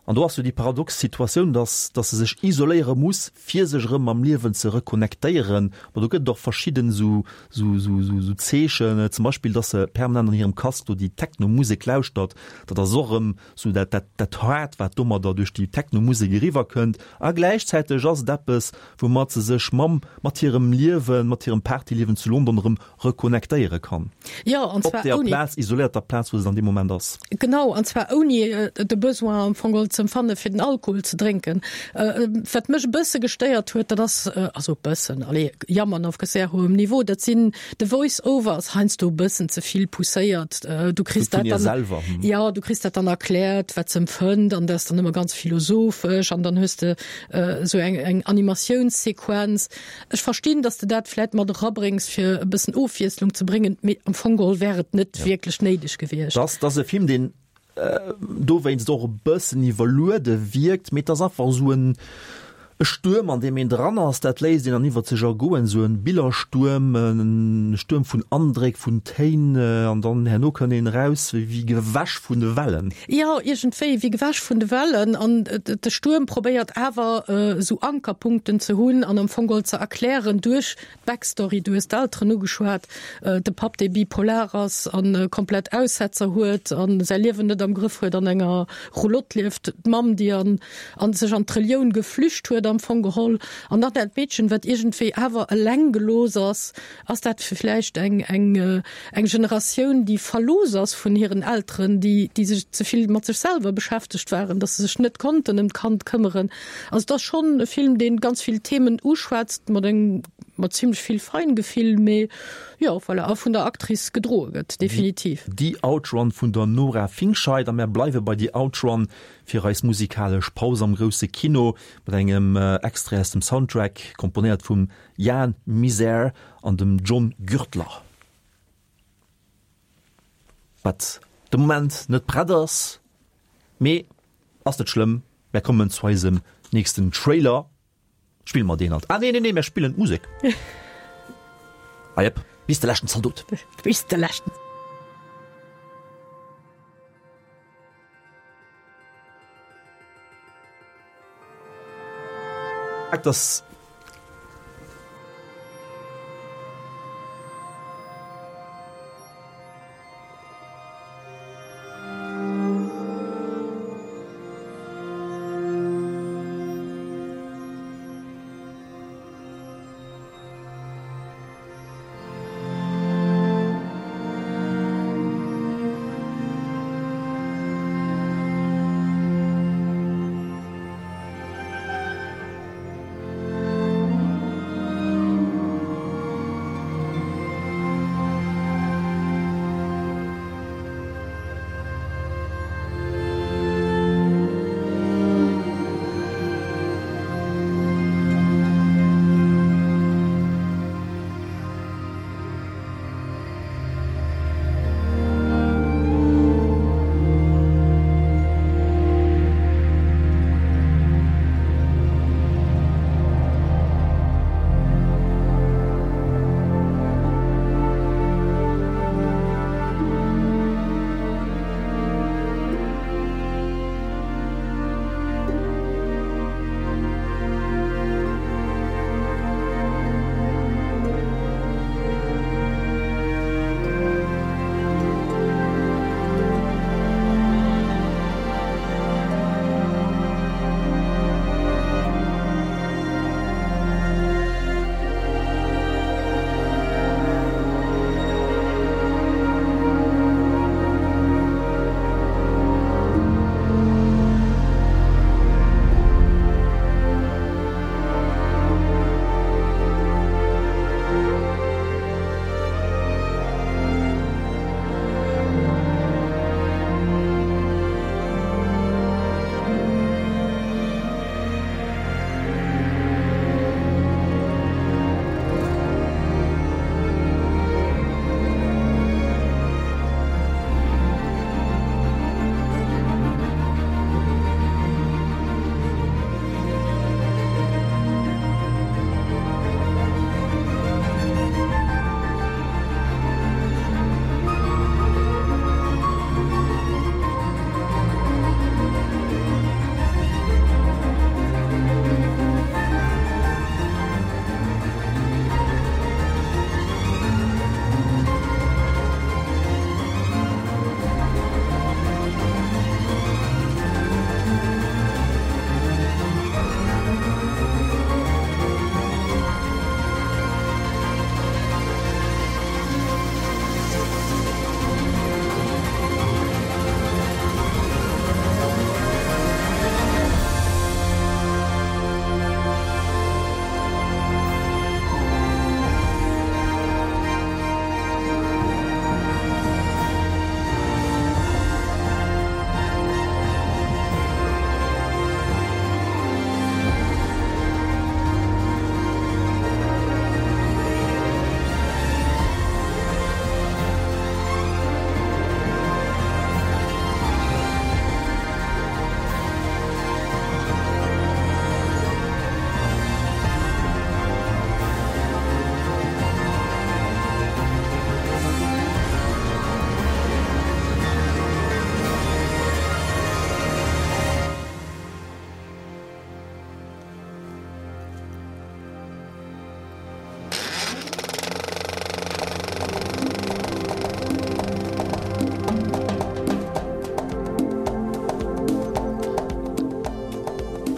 An do ass jo déi paradox Situatioun, dass dass se sech isoléiere muss, fir sech erëm mam Liewen ze reconnectéieren. Bon, do gëtt et och verschidden esou esou esou esou Zeechen, zum Beispill, dass se permanent an hirem Casque do déi Techno-Musek lauschtert. Dat ass och erëm esou dat dat dat Haart, wat domadder duerch déi Techno-Musek eriwwerkënnt. A gläichzäiteg ass et eppes, woumat se sech mam mat hirem Liewen, mat hirem Partyliewen zu London erëm reconnectéiere kann. Jo, an zwar ouni. Op där Plaz, isoléierter Plaz, wou se an deem Moment ass. Genau, an zwar ouni de Besoin am Fong geholl ze empfanne fir den Alkohol ze drénken. Wat mech e bësse gestéiert huet, dat ass, also e bëssen, allez, jammern auf sehr hohem Niveau, dat sinn, de Voice-over ass heiansdo e bëssen ze vill pousséiert. Du kriss dat dann, selwer. Jo, du kriss dat dann erkläert, wat se empfënnt, an dat ass dann ëmmer ganz philosophesch an dann hues de esou eng, eng Animatiounssequenz. Ech verstinn, dass de dat vläit mat erabréngs, fir e bëssen Ofwiesslung ze bréngen, mee am Fong geholl wär et net wierklech néideg gewiescht. Dass ass e Film, deen dowéinst och e bëssen iwwerluede wierkt, mee et ass einfach esou en Stuerm, an deem een dran ass. Dat léisst een dann iwwert sech ergoen, esou e Billerstuerm, e Stuerm vun Andréck, vun Téin, an dann herno kënnt een eraus wéi gewäsch vun de Wellen. Jo, iergendwéi wéi gewäsch vun de Wellen. An de Stuerm probéiert awer esou Ankerpunkten ze hunn an am Fong geholl ze erklären duerch d'Backstory, du hues d'Elteren ugeschwat, de Papp, dee bipolar ass a komplett Aussetzer huet a säi Liewen net am Grëff huet, an enger Roulotte lieft, d'Mamm, déi an an sech an d'Relioun geflücht huet am Fong geholl, an dann dat Meedchen, wat iergendwéi awer eleng gelooss ass. Ass dat vläicht eng, eng, eng Generatioun, déi verlooss ass vun hiren Elteren, déi, déi sech ze vill mat sech selwer beschäftegt waren, datt se sech net konnten ëm d'Kand këmmeren? Also et ass schonn e Film, dee ganz vill Themen uschwätzt, mat engem, mat zimlech vill Feingefill, mee jo, voilà, a vun der Actrice gedroe gëtt, definitiv. The Outrun vun der Nora Fingscheidt. A mär bleiwe bei The Outrun fir eis musikalesch Paus am grousse Kino mat engem Extrait aus dem Soundtrack, komponéiert vum Jan Miser an dem John Gürtler. Wat de Moment net prett ass, mee ass net schlëmm, mär kommen zu eisem nächsten Trailer. Spille mer deen alt? Ah nee, nee, nee, mär spillen d'Musek. Ah jep, bis de leschten Zaldot. Bis de leschten. Dass.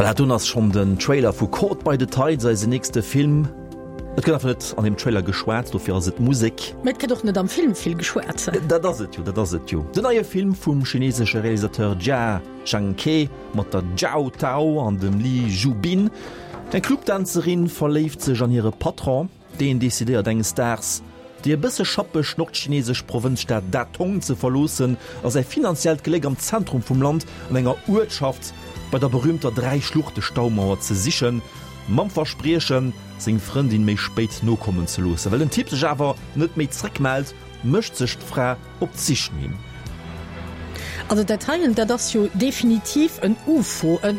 Voilà, dunn ass schonn den Trailer vu Caught by the Tides, eisen nächste Film. Et gëtt einfach net an deem Trailer geschwat, dofir ass et Musek. Mä et gëtt och net am Film vill geschwat. Dat ass et jo, dat ass et jo. Den neie Film vum chinesesche Realisateur Jia Zhangke mat der Zhao Tao an dem Li Zhubin. Eng Clubdänzerin verléift sech an hire Patron. Deen decidéiert enges Daags, déi e bësse schappeg nordchinesesch Provënzstad Datong ze verloossen a säi finanziellt Gléck am Zentrum vum Land an enger Uertschaft bei der berüümter Dräi-Schluchte-Staumauer ze sichen, mam Verspriechen, seng Frëndin méi spéit nokommen ze loossen. Well den Typ sech awer net méi zréckmellt, mécht sech d'Fra op d'Sich no him. Also dat heien, dat ass jo definitiv en UFO, en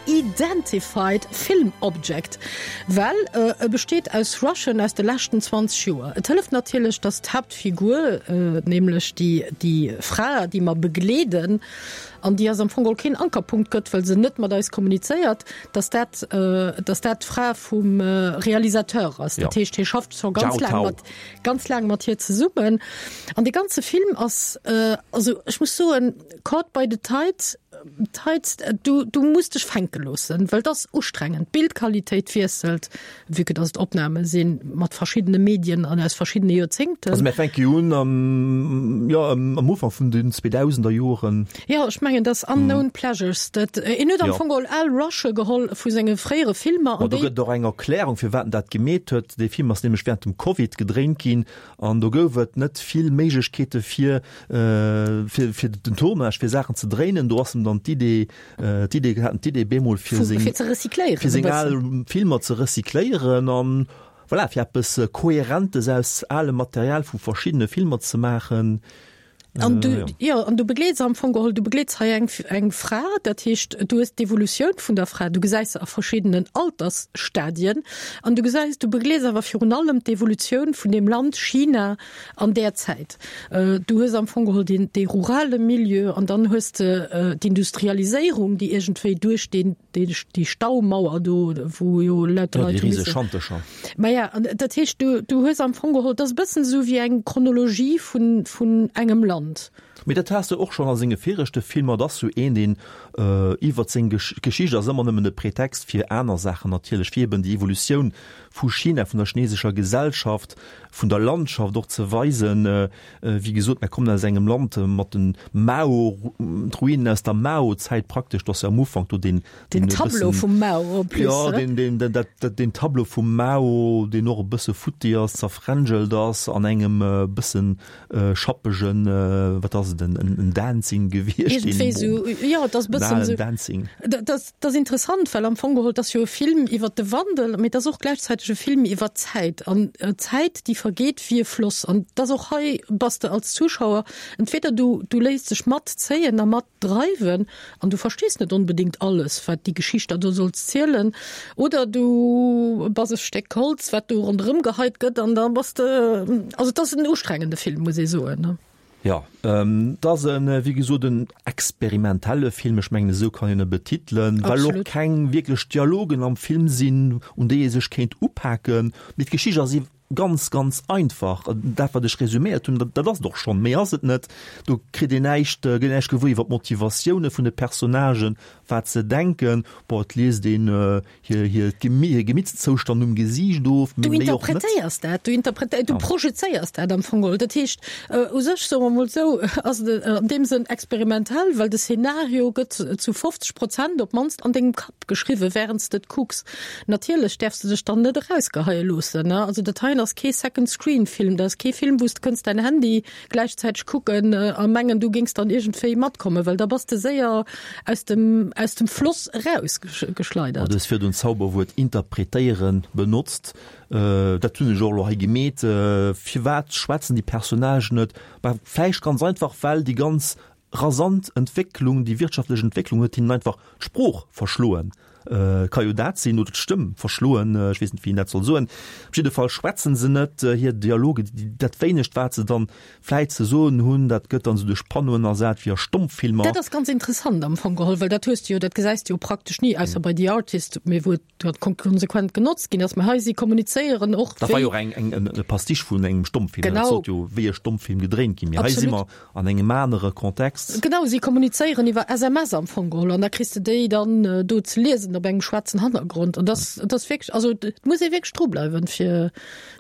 Unidentified Film Object, well e besteet aus Rushen aus de leschten 20 Joer. Et hëlleft natierlech, datt d'Haaptfigur, nämlech déi Fra, déi mer begleeden an déi eis am Fong geholl keen Ankerpunkt gëtt, well se net mat eis kommunizéiert, datt dat, datt dat d'Fra vum Realisateur ass. Dat heescht, hie schafft scho ganz laang mat, ganz laang mat hir zesummen. An dee ganze Film ass, also ech muss soen, Caught by the Tide, Tides, du, du muss dech fänke loossen, well et ass ustrengend. D'Bildqualitéit wiesselt, vue que dass et Opname si mat verschiddene Medien an aus verschiddene Joerzéngten. Also mir fänke jo un am, jo, am Ufank vun den 2000er Joren. Jo, ech mengen, dat ass Unknown Pleasures. Dat, en huet am Fong geholl al Rushe geholl vu senge fréiere Filmer an déi. Do gëtt et och eng Erklärung, firwat en dat gemeet huet. Dee Film ass nämlech während dem Covid gedréint ginn An do gouf et net vill Méiglechkeete fir, fir, fir den Tournage, fir Saachen ze dréinen. Do ass em dann d'Idee, d'Idee, haten d'Idee bemol fir seng, fir ze recycléieren fir seng al Filmer ze recycléieren an voilà, fir eppes Kohärentes aus alem Material vu verschiddene Filmer ze maachen. An du, jo, an du begleets am Fong geholl, du begleets hei eng, eng Fra, dat heescht, du hues d'Evolutioun vun der Fra, du gesäis se a verschiddenen Altersstadien an du gesäis, du begleets awer virun allem d'Evolutioun vun deem Land China an där Zäit. Du hues am Fong geholl deen, dee rurale Milieu an dann hues de d'Industrialiséierung, déi iergendwéi duerch deen, déi Staumauer do, wou jo lauter Leit. Ja, déi riseg Schantercher. Maja, an dat heescht, du, du hues am Fong geholl, dat ass e bëssen esou wéi eng Chronologie vun, vun engem Land. Mee dat has de och schonn a senge viregte Filmer. Et ass sou een, deen iwwert seng Geschicht ass ëmmer nëmmen e Pretext fir aner Saachen natierlech, fir eben déi Evolutioun vu China, vun der chinesescher Gesellschaft, vun der Landschaft och ze weisen. Wéi gesot, mer kommen aus engem Land mat den Mao, d'Ruinen aus der Mao-Zäit praktesch, do ass jo am Ufank do deen, Den Tableau vum Mao en plus. Jo, deen, deen, dat, dat, deen Tableau vum Mao, deen och e bësse futti ass, zerfränjelt ass an engem e bëssen schappegen, wat ass et, en, en Dancing gewiescht. Iergendwéi esou, jo, et ass e bëssen esou. Dancing. Dat ass, dat ass interessant, well am Fong geholl, et ass jo e Film iwwer de Wandel, mee et ass och gläichzäiteg e Film iwwer d'Zäit. An d'Zäit, déi vergeet wéi e Floss. An et ass och hei, bass de als Zuschauer, entweder du, du léiss dech matzéien a matdreiwen an du verstees net onbedéngt alles, wat déi Geschicht der do soll zielen, oder du bass e Stéck Holz, wat do ronderëm geheit gëtt an da bass de, also et ass en ustrengende Film, muss ee soen. Jo, et ass en, wéi gesot, en experimentelle Film, ech mengen esou kann een e betitelen, well och keng wierklech Dialogen am Film sinn, un déi ee sech kéint upaken. Mee d'Geschicht ass ganz, ganz einfach. Dat, wat ech resuméiert hunn, dat ass et och schonn. Méi ass et net. Do kritt een näischt, gëtt näischt gewuer iwwer d'Motivatioune vun de Personnagen, wat se denken. Bon, et liest een hir, hir hir Gemittszoustand um Gesiicht of, mee méi och net. Du interpretéiers dat, du interpretéiers, du projezéiers dat am Fong geholl. Dat heescht, u sech, soe mer emol esou, ass et an deem Sënn experimentell, well de Szenario gëtt zu 50 Prozent op d'mannst an dengem Kapp geschriwwen, wärend s de et kucks. Natierlech däerfs de dech dann net erausgeheie loossen, ne? Also dat heien ass kee Second-Screen-Film, dat ass kee Film, wou s de kënns däin Handy gläichzäiteg kucken a mengen, du géings dann iergendwéi matkommen, well da bass de séier aus dem, aus dem Floss erausgeschleidert. Du hues virdrun d'Zauberwuert interpretéieren benotzt. Dat hunn ech och elo hei gemeet. Firwat schwätzen déi Personnagen net? Bah, vläicht ganz einfach, well déi ganz rasant Entwécklung, déi wirtschaftlech Entwécklung huet hinnen einfach d'Sprooch verschloen. Ka jo dat sinn, oder d'Stëmm verschloen, ech weess net, wéi een dat soll soen. Op jidde Fall schwätzen se net, hir Dialoge, dat wéinegt, wat se dann vläit ze soen hunn, dat gëtt dann esou duerch Panneauen ersat wéi a Stommfilmer. Dat ass ganz interessant am Fong geholl, well dat hues de jo, dat gesäis de jo praktesch ni, ausser bei The Artist, mee wou et dat konsequent genotzt ginn ass. Mee hei, si kommunizéieren och Dat war jo och eng, eng, e Pastiche vun engem Stommfilm. Genau. Dat sollt jo wéi e Stommfilm gedréint ginn. Mee hei si mer an engem anere Kontext. Genau, si kommunizéieren iwwer SMS am Fong geholl an da kriss de déi dann do ze liesen op engem schwaarzen Hannergrond. An dat, dat ass wierklech, also et muss ee wierklech drubleiwen, fir,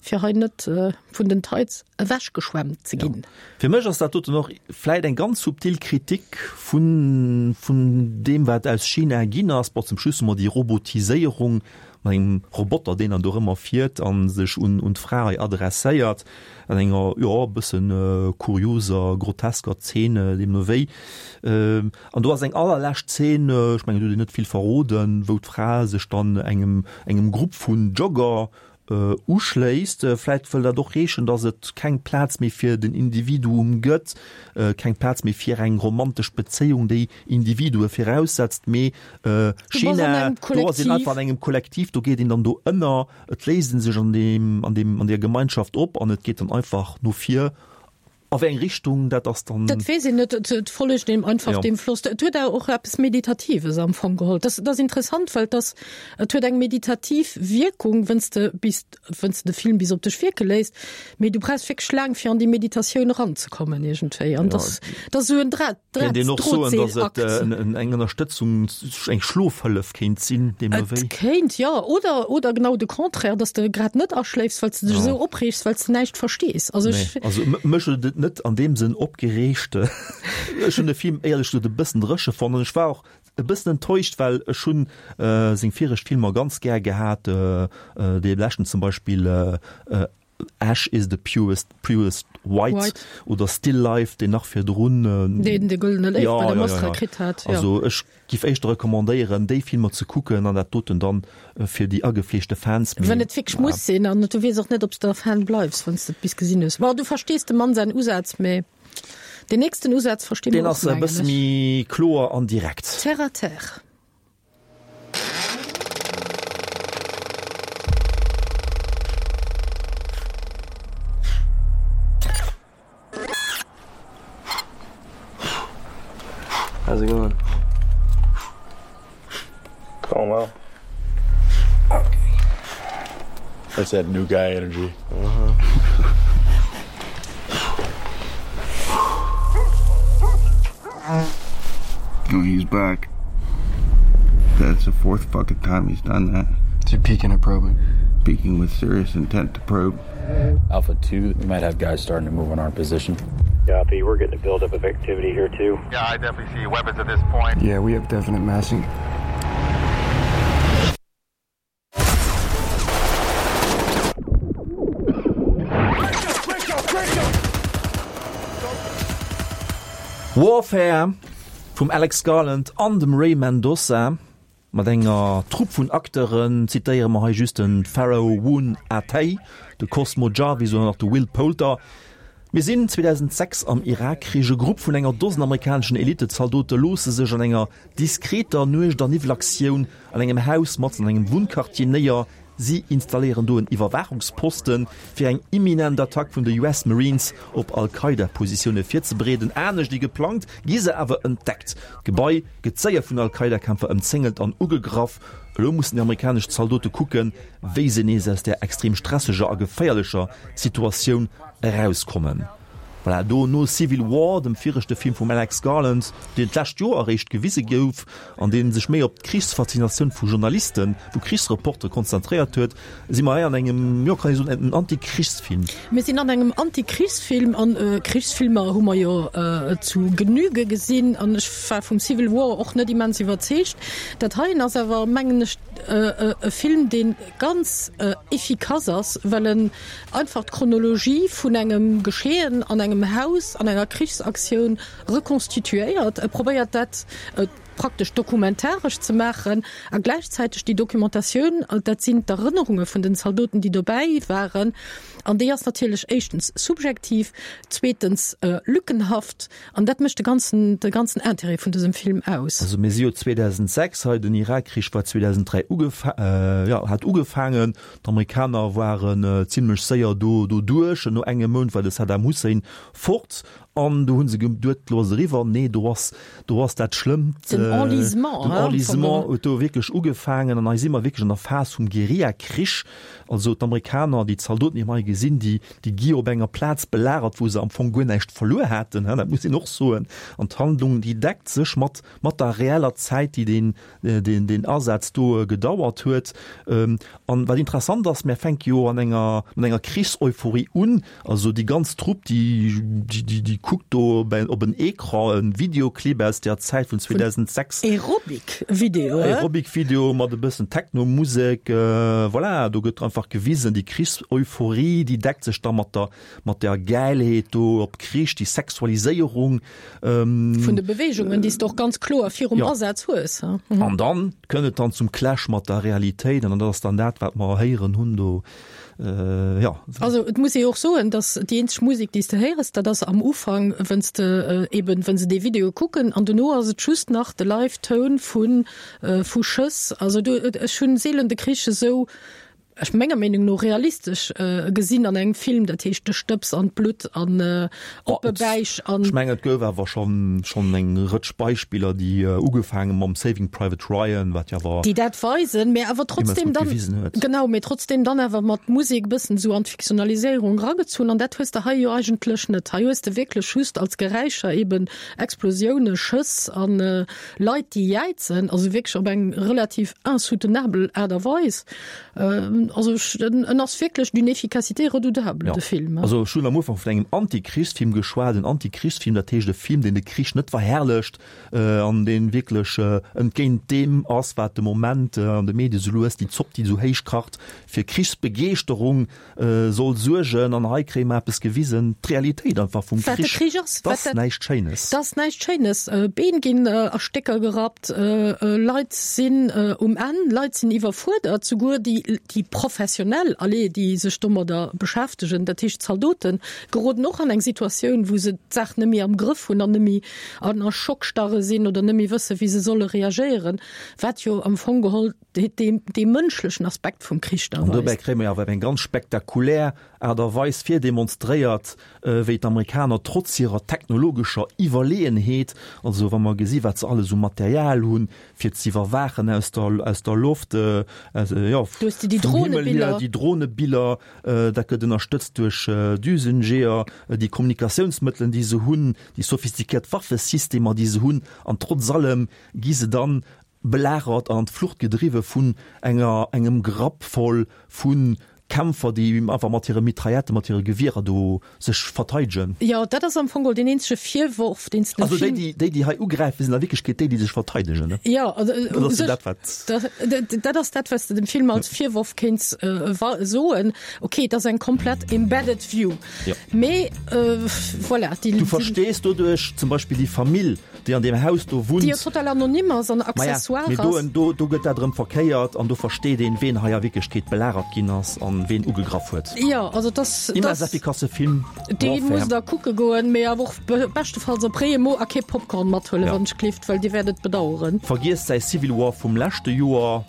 fir hei net vun den Tides ewechgeschwemmt ze ginn. Ja. Fir mech ass dat doten och vläit eng ganz subtil Kritik vun, vun deem, wat aus China ginn ass. Bon, zum Schluss hu mer déi Robotiséierung mat engem Roboter, deen dann do erëmmer fiert a sech un, un d'Fra hei adresséiert, an enger, jo, e bëssen kurioser, grotesker Zeen, deemno wéi. An do ass eng allerlescht Zeen, ech mengen, do huet een net vill verroden, wou d'Fra sech dann engem, engem Grupp vun Jogger Uschléisst. Vläit wëll dat och heeschen, datt et keng Plaz méi fir den Individuum gëtt, keng Plaz méi fir eng romantesch Bezéiung, déi Individue viraussetzt, mee China, do ass een einfach an engem Kollektiv, do geet een dann do ënner, et léist ee sech an deem, an deem, an där Gemeinschaft op an et geet dann einfach no vir. A wéi eng Richtung, dat ass dann. Dat weess een net. Et follegt deem einfach deem Floss. Et huet awer och eppes Meditatives am Fong geholl. Dat ass interessant, well et ass, et huet eng meditativ Wierkung, wenn's de bis, wenn's de de Film bis op dech wierke léisst. Mee du brauchs wierklech laang, fir an déi Meditatioun eranzekommen iergendwéi. An dat ass esou en Dra. Kéint een och soen, datt et eng Ënnerstëtzung, eng Schlofhëllef kéint sinn, deemno wéi? Et kéint, jo. Oder, oder genau de Contraire, datt s de grad net aschléifs, well s de dech esou opreegs, well s de näischt verstees. Also ech. Nee, also mech huet et net an deem Sënn opgereegt. Ech hunn de Film éierlech gesot e bëssen dréche fonnt an ech war och e bëssen enttäuscht, well ech hunn seng viregt Filmer ganz gär gehat, dee leschten zum Beispill Ash is the purest, purest white, white oder Still Life, deen nach virdrun. Deen de Gëllene Léiw ja, bei der ja, Mostra ja, ja. kritt hat. Ja. Also ech giff éischter recommandéieren, déi Filmer ze kucken an dat doten dann fir déi agefleeschte Fans. Wenn et wierklech muss sinn an du weess och net, ob s de Fan bleifs, wann s de et bis gesinn hues. Bon, du verstees dem Mann säin Usaz, mee deen nächsten Usaz versti mer och, mengen ech. Deen ass e bësse méi kloer an direkt. Terre à terre. How's it going? Going well. Okay. That's that new guy energy. Uh -huh. Oh, he's back. That's the fourth fucking time he's done that. Is he peeking or probing? Peeking with serious intent to probe. Alpha 2, we might have guys starting to move on our position. Copy, we're getting a buildup of activity here too. Yeah, I definitely see weapons at this point. Yeah, we have definite massing. Warfare vum Alex Garland an dem Ray Mendoza mat enger Trupp vun Acteuren, zitéiere mer hei just de Pharaoh Woon Ah-Tay, de Cosmo Jarvis oder nach de Will Poulter. Mir sinn 2006 am Irakkrich. E Grupp vun enger Dosen amerikaneschen Elite-Zaldote loosse sech an enger diskreter Nuecht a Niwwelaktioun an engem Haus matzen an engem Wunnquartier néier. Si installéieren do en Iwwerwaachungsposten, fir eng imminent Attack vun de US Marines op Al-Qaida-Positioune virzebereeden. Anescht ewéi geplangt, gi se awer entdeckt. D'Gebai gëtt séier vun Al-Qaida-Kämpfer ëmzéngelt an ugegraff. Elo mussen déi amerikanesch Zaldote kucken, wéi se nees aus där extrem stresseger a geféierlecher Situatioun erauskommen. Voilà, do no Civil War, dem viregte Film vum Alex Garland, deen d'lescht Joer eréischt gewise gouf an dee sech méi op d'Krichsfaszinatioun vu Journalisten, vu Krichsreportere konzentréiert huet, si mer hei an engem, jo, kann ee soen, engem Anti-Krichsfilm. Mir sinn an engem Anti-Krichsfilm an Krichsfilmer hu mer jo zu Genüge gesinn an ech war vum Civil War och net immens iwwerzeegt. Dat heien ass awer, mengen ech, e Film, dee ganz efficace ass, well en einfach d'Chronologie vun engem Geschehen an engem Haus an enger Krichsaktioun rekonstituéiert. E probéiert dat. praktesch dokumentaresch ze maachen a gläichzäiteg déi Documentatioun, dat sinn d'Erënnerunge vun den Zaldoten, déi dobäi waren, an déi ass natierlech éischtens subjektiv, zweetens lückenhaft an dat mécht de ganzen, de ganzen Intérêt vun dësem Film aus. Also mir si jo 2006 hei, den Irakkrich war 2003 ugefa jo hat ugefaangen, d'Amerikaner waren zimlech séier do doduerch, no engem Mount war de Saddam Hussein fort An do hu se geduet, elo ass et eriwwer. Nee, do ass, do ass dat Schlëmmt, Den Enlisement, den Enlisement huet do wierklech ugefaangen. An hei si mer wierklech an der Phas vum Guerillakrich. Also d'Amerikaner, déi Zaldoten, déi mer hei gesinn, déi, déi gi op enger Plaz belagert, wou se am Fong guer näischt verluer haten, dat muss een och soen. An d'Handlung, déi deckt sech mat, mat der reeller Zäit, déi deen, deen, deen Asaz do gedauert huet. An wat interessant ass, mär fänke jo an enger, mat enger Krichseuphorie un. Also déi ganz Trupp, déi, déi, déi, déi kuckt do op en, op en Ecran e Videoclip aus der Zäit vun 2006. Aerobic-Video, hein? Aerobic-Video mat e bëssen Techno-Musek. Voilà, do gëtt einfach gewisen, déi Krichseuphorie, déi deckt sech da mat der, mat der Gäilheet do op Krich, déi Sexualiséierung. Vun de Beweegungen, déi s de och ganz kloer virum Asaz hues. An dann kënnt et dann zum Clash mat der Realitéit an dat ass dann dat, wat mer héieren hunn do. Jo. Also et muss ee och soen, datt déi eenzeg Musek, déi s de héiers, dat ass am Ufank, wënn s de eben, wënn se dee Video kucken an dono ass et just nach de Live-Toun vu vu Schëss. Also do, ech hunn seelen de Krich esou ech menger Meenung no realistesch gesinn an engem Film, dat heescht de Stëbs an d'Blutt an oppe Bäich an. Ech mengen et gouf awer schonn schonn eng Rëtsch Beispiller déi ugefaange mam Saving Private Ryan, wat jo awer déi dat weisen, mä awer immens trotzdem gutt dann gewisen huet. genau, mä trotzdem dann awer mat Musek e bëssen esou an d'Fiktionaliséierung eragezunn an dat hues de hei jo eigentlech net. Hei hues de wierklech just als Geräischer eben Explosioune, Schëss an Leit déi jäizen, also wierklech op eng relativ insoutenabel Aart a Weis. Also en ass wierklech d'une efficacité redoutable, de Film. Also ech hunn am Ufank vun engem Antikrichsfilm geschwat, en Antikrichsfilm, dat heescht e Film, deen de Krich net verherrlecht an dee wierklech entgéint deem ass, wat de Moment an de Medie sou lues déi Zopp, déi esou héich kacht, fir Krichsbegeeschterung soll suergen an hei kréie mer eppes gewisen, d'Realitéit einfach vum Wat de Krich, Krich ass, dat ass näischt Schéines. Dat ass näischt Schéines. Been ginn a Stécker gerappt, Leit sinn um Enn, Leit sinn iwwerfuerdert, souguer déi, déi Professionell, allez, déi sech domadder beschäftegen, dat heescht d'Zaldoten, geroden och an eng Situatioun, wou se d'Saach net méi am Grëff hunn an net méi an a Schockstarre sinn oder net méi wëssen, wéi se solle reagéieren, wat jo am Fong geholl dee mënschlechen Aspekt vum Krich da An dobäi kréie mer awer op eng ganz spektakulär Aart a Weis virdemonstréiert, wéi d'Amerikaner trotz hirer technologescher Iwwerleeënheet, also wa mer gesi wat se alles u Material hunn, fir ze iwwerwaachen aus der, aus der Loft, jo, vum Himmel hier, déi Dronebiller, dat gëtt ënnerstëtzt duerch Düsenjeeër, déi Kommunikatiounsmëttelen, déi se hunn, déi sophistiquéiert Waffesystemer, déi se hunn, an trotz allem gi se dann belagert an an d'Flucht gedriwwe vun enger engem Grapp voll vu Kämpfer, déi einfach mat hire Mitrailletten, mat hire Gewierer do sech verteidegen. Jo, dat ass am Fong geholl deen eenzege Virworf, deen s de dem Also déi, déi, déi, déi hei ugräifen, sinn a Wierklechkeet déi, déi sech verteidegen, ne? Jo, also Dat ass jo dat, wat. Dat ass dat, wat s de dem Film als Virworf kéints soen. Okay, et ass eng komplett embedded view. Jo. Mee voilà, déi. Du verstees doduerch zum Beispill déi Famill, déi an deem Haus do wunnt. Déi jo total anonym ass an accessoire ass. Maja, mee do, do gëtt dat erëm verkéiert an do versteet een, ween hei a Wierklechkeet belagert ginn ass an ween ugegraff huet. Jo, also et ass. Immens effikasse Film, Dee musst der kucke goen, mee awer och beschtefalls op réie Mo a kee Popcorn mathuelen, wann ech gleeft, well Dir wäert et bedaueren. Vergiesst säi Civil War vum leschte Joer.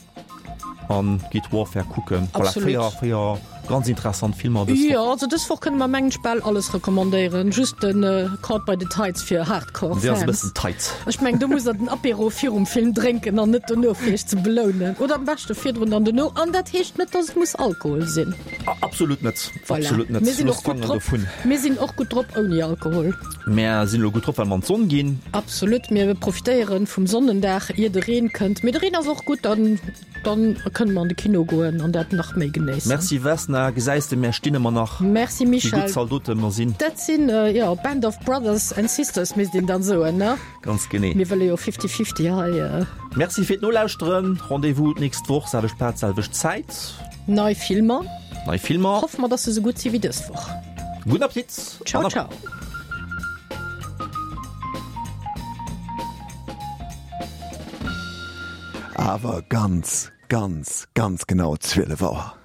An geet Warfare kucken. Voilà, Absolut. 4, 4 ganz interessant Filmer dës Jo, Woch. also dës Woch kënne mer mengen ech bal alles recommandéieren, just den Caught by the Tides fir Hardcore Dee ass e Fans. bëssen tight. Ech mengen do musst der den Apéro virum Film drénken an net dono fir iech ze belounen. Oder am beschte virdrun an dono. An dat heescht net, dass et muss Alkohol sinn. Absolut net, Voilà. absolut net. Mir sinn Looss och gutt d'Fanger drop. dovun. Mir sinn och gutt drop ouni Alkohol. Mär sinn elo gutt drop, well mer an d'Sonn ginn. Absolut, mir profitéieren vum Sonnendag ier de Reen kënnt. Mee de Reen ass och gutt, dann dann kënne mer an de Kino goen an dat nach méi genéissen. Merci Vesna, gesäis de mär stinn ëmmer nach, Merci wéi Michel. gutt Zaldote mer sinn. Dat sinn jo Band of Brothers and Sisters misst een dann soen, ne? Ganz genee. Mir wëlle jo fifty fifty hei. Merci fir d'Nolauschteren, Rendez-vous d'nächst Woch, selwecht Plaz, selwecht Zäit. Nei Filmer. Nei Filmer. Hoffe mer, dass se sou gutt si wéi dës Woch. Gudden Appetit. Ciao, ciao. Awer ganz, ganz, ganz genau 12 Auer.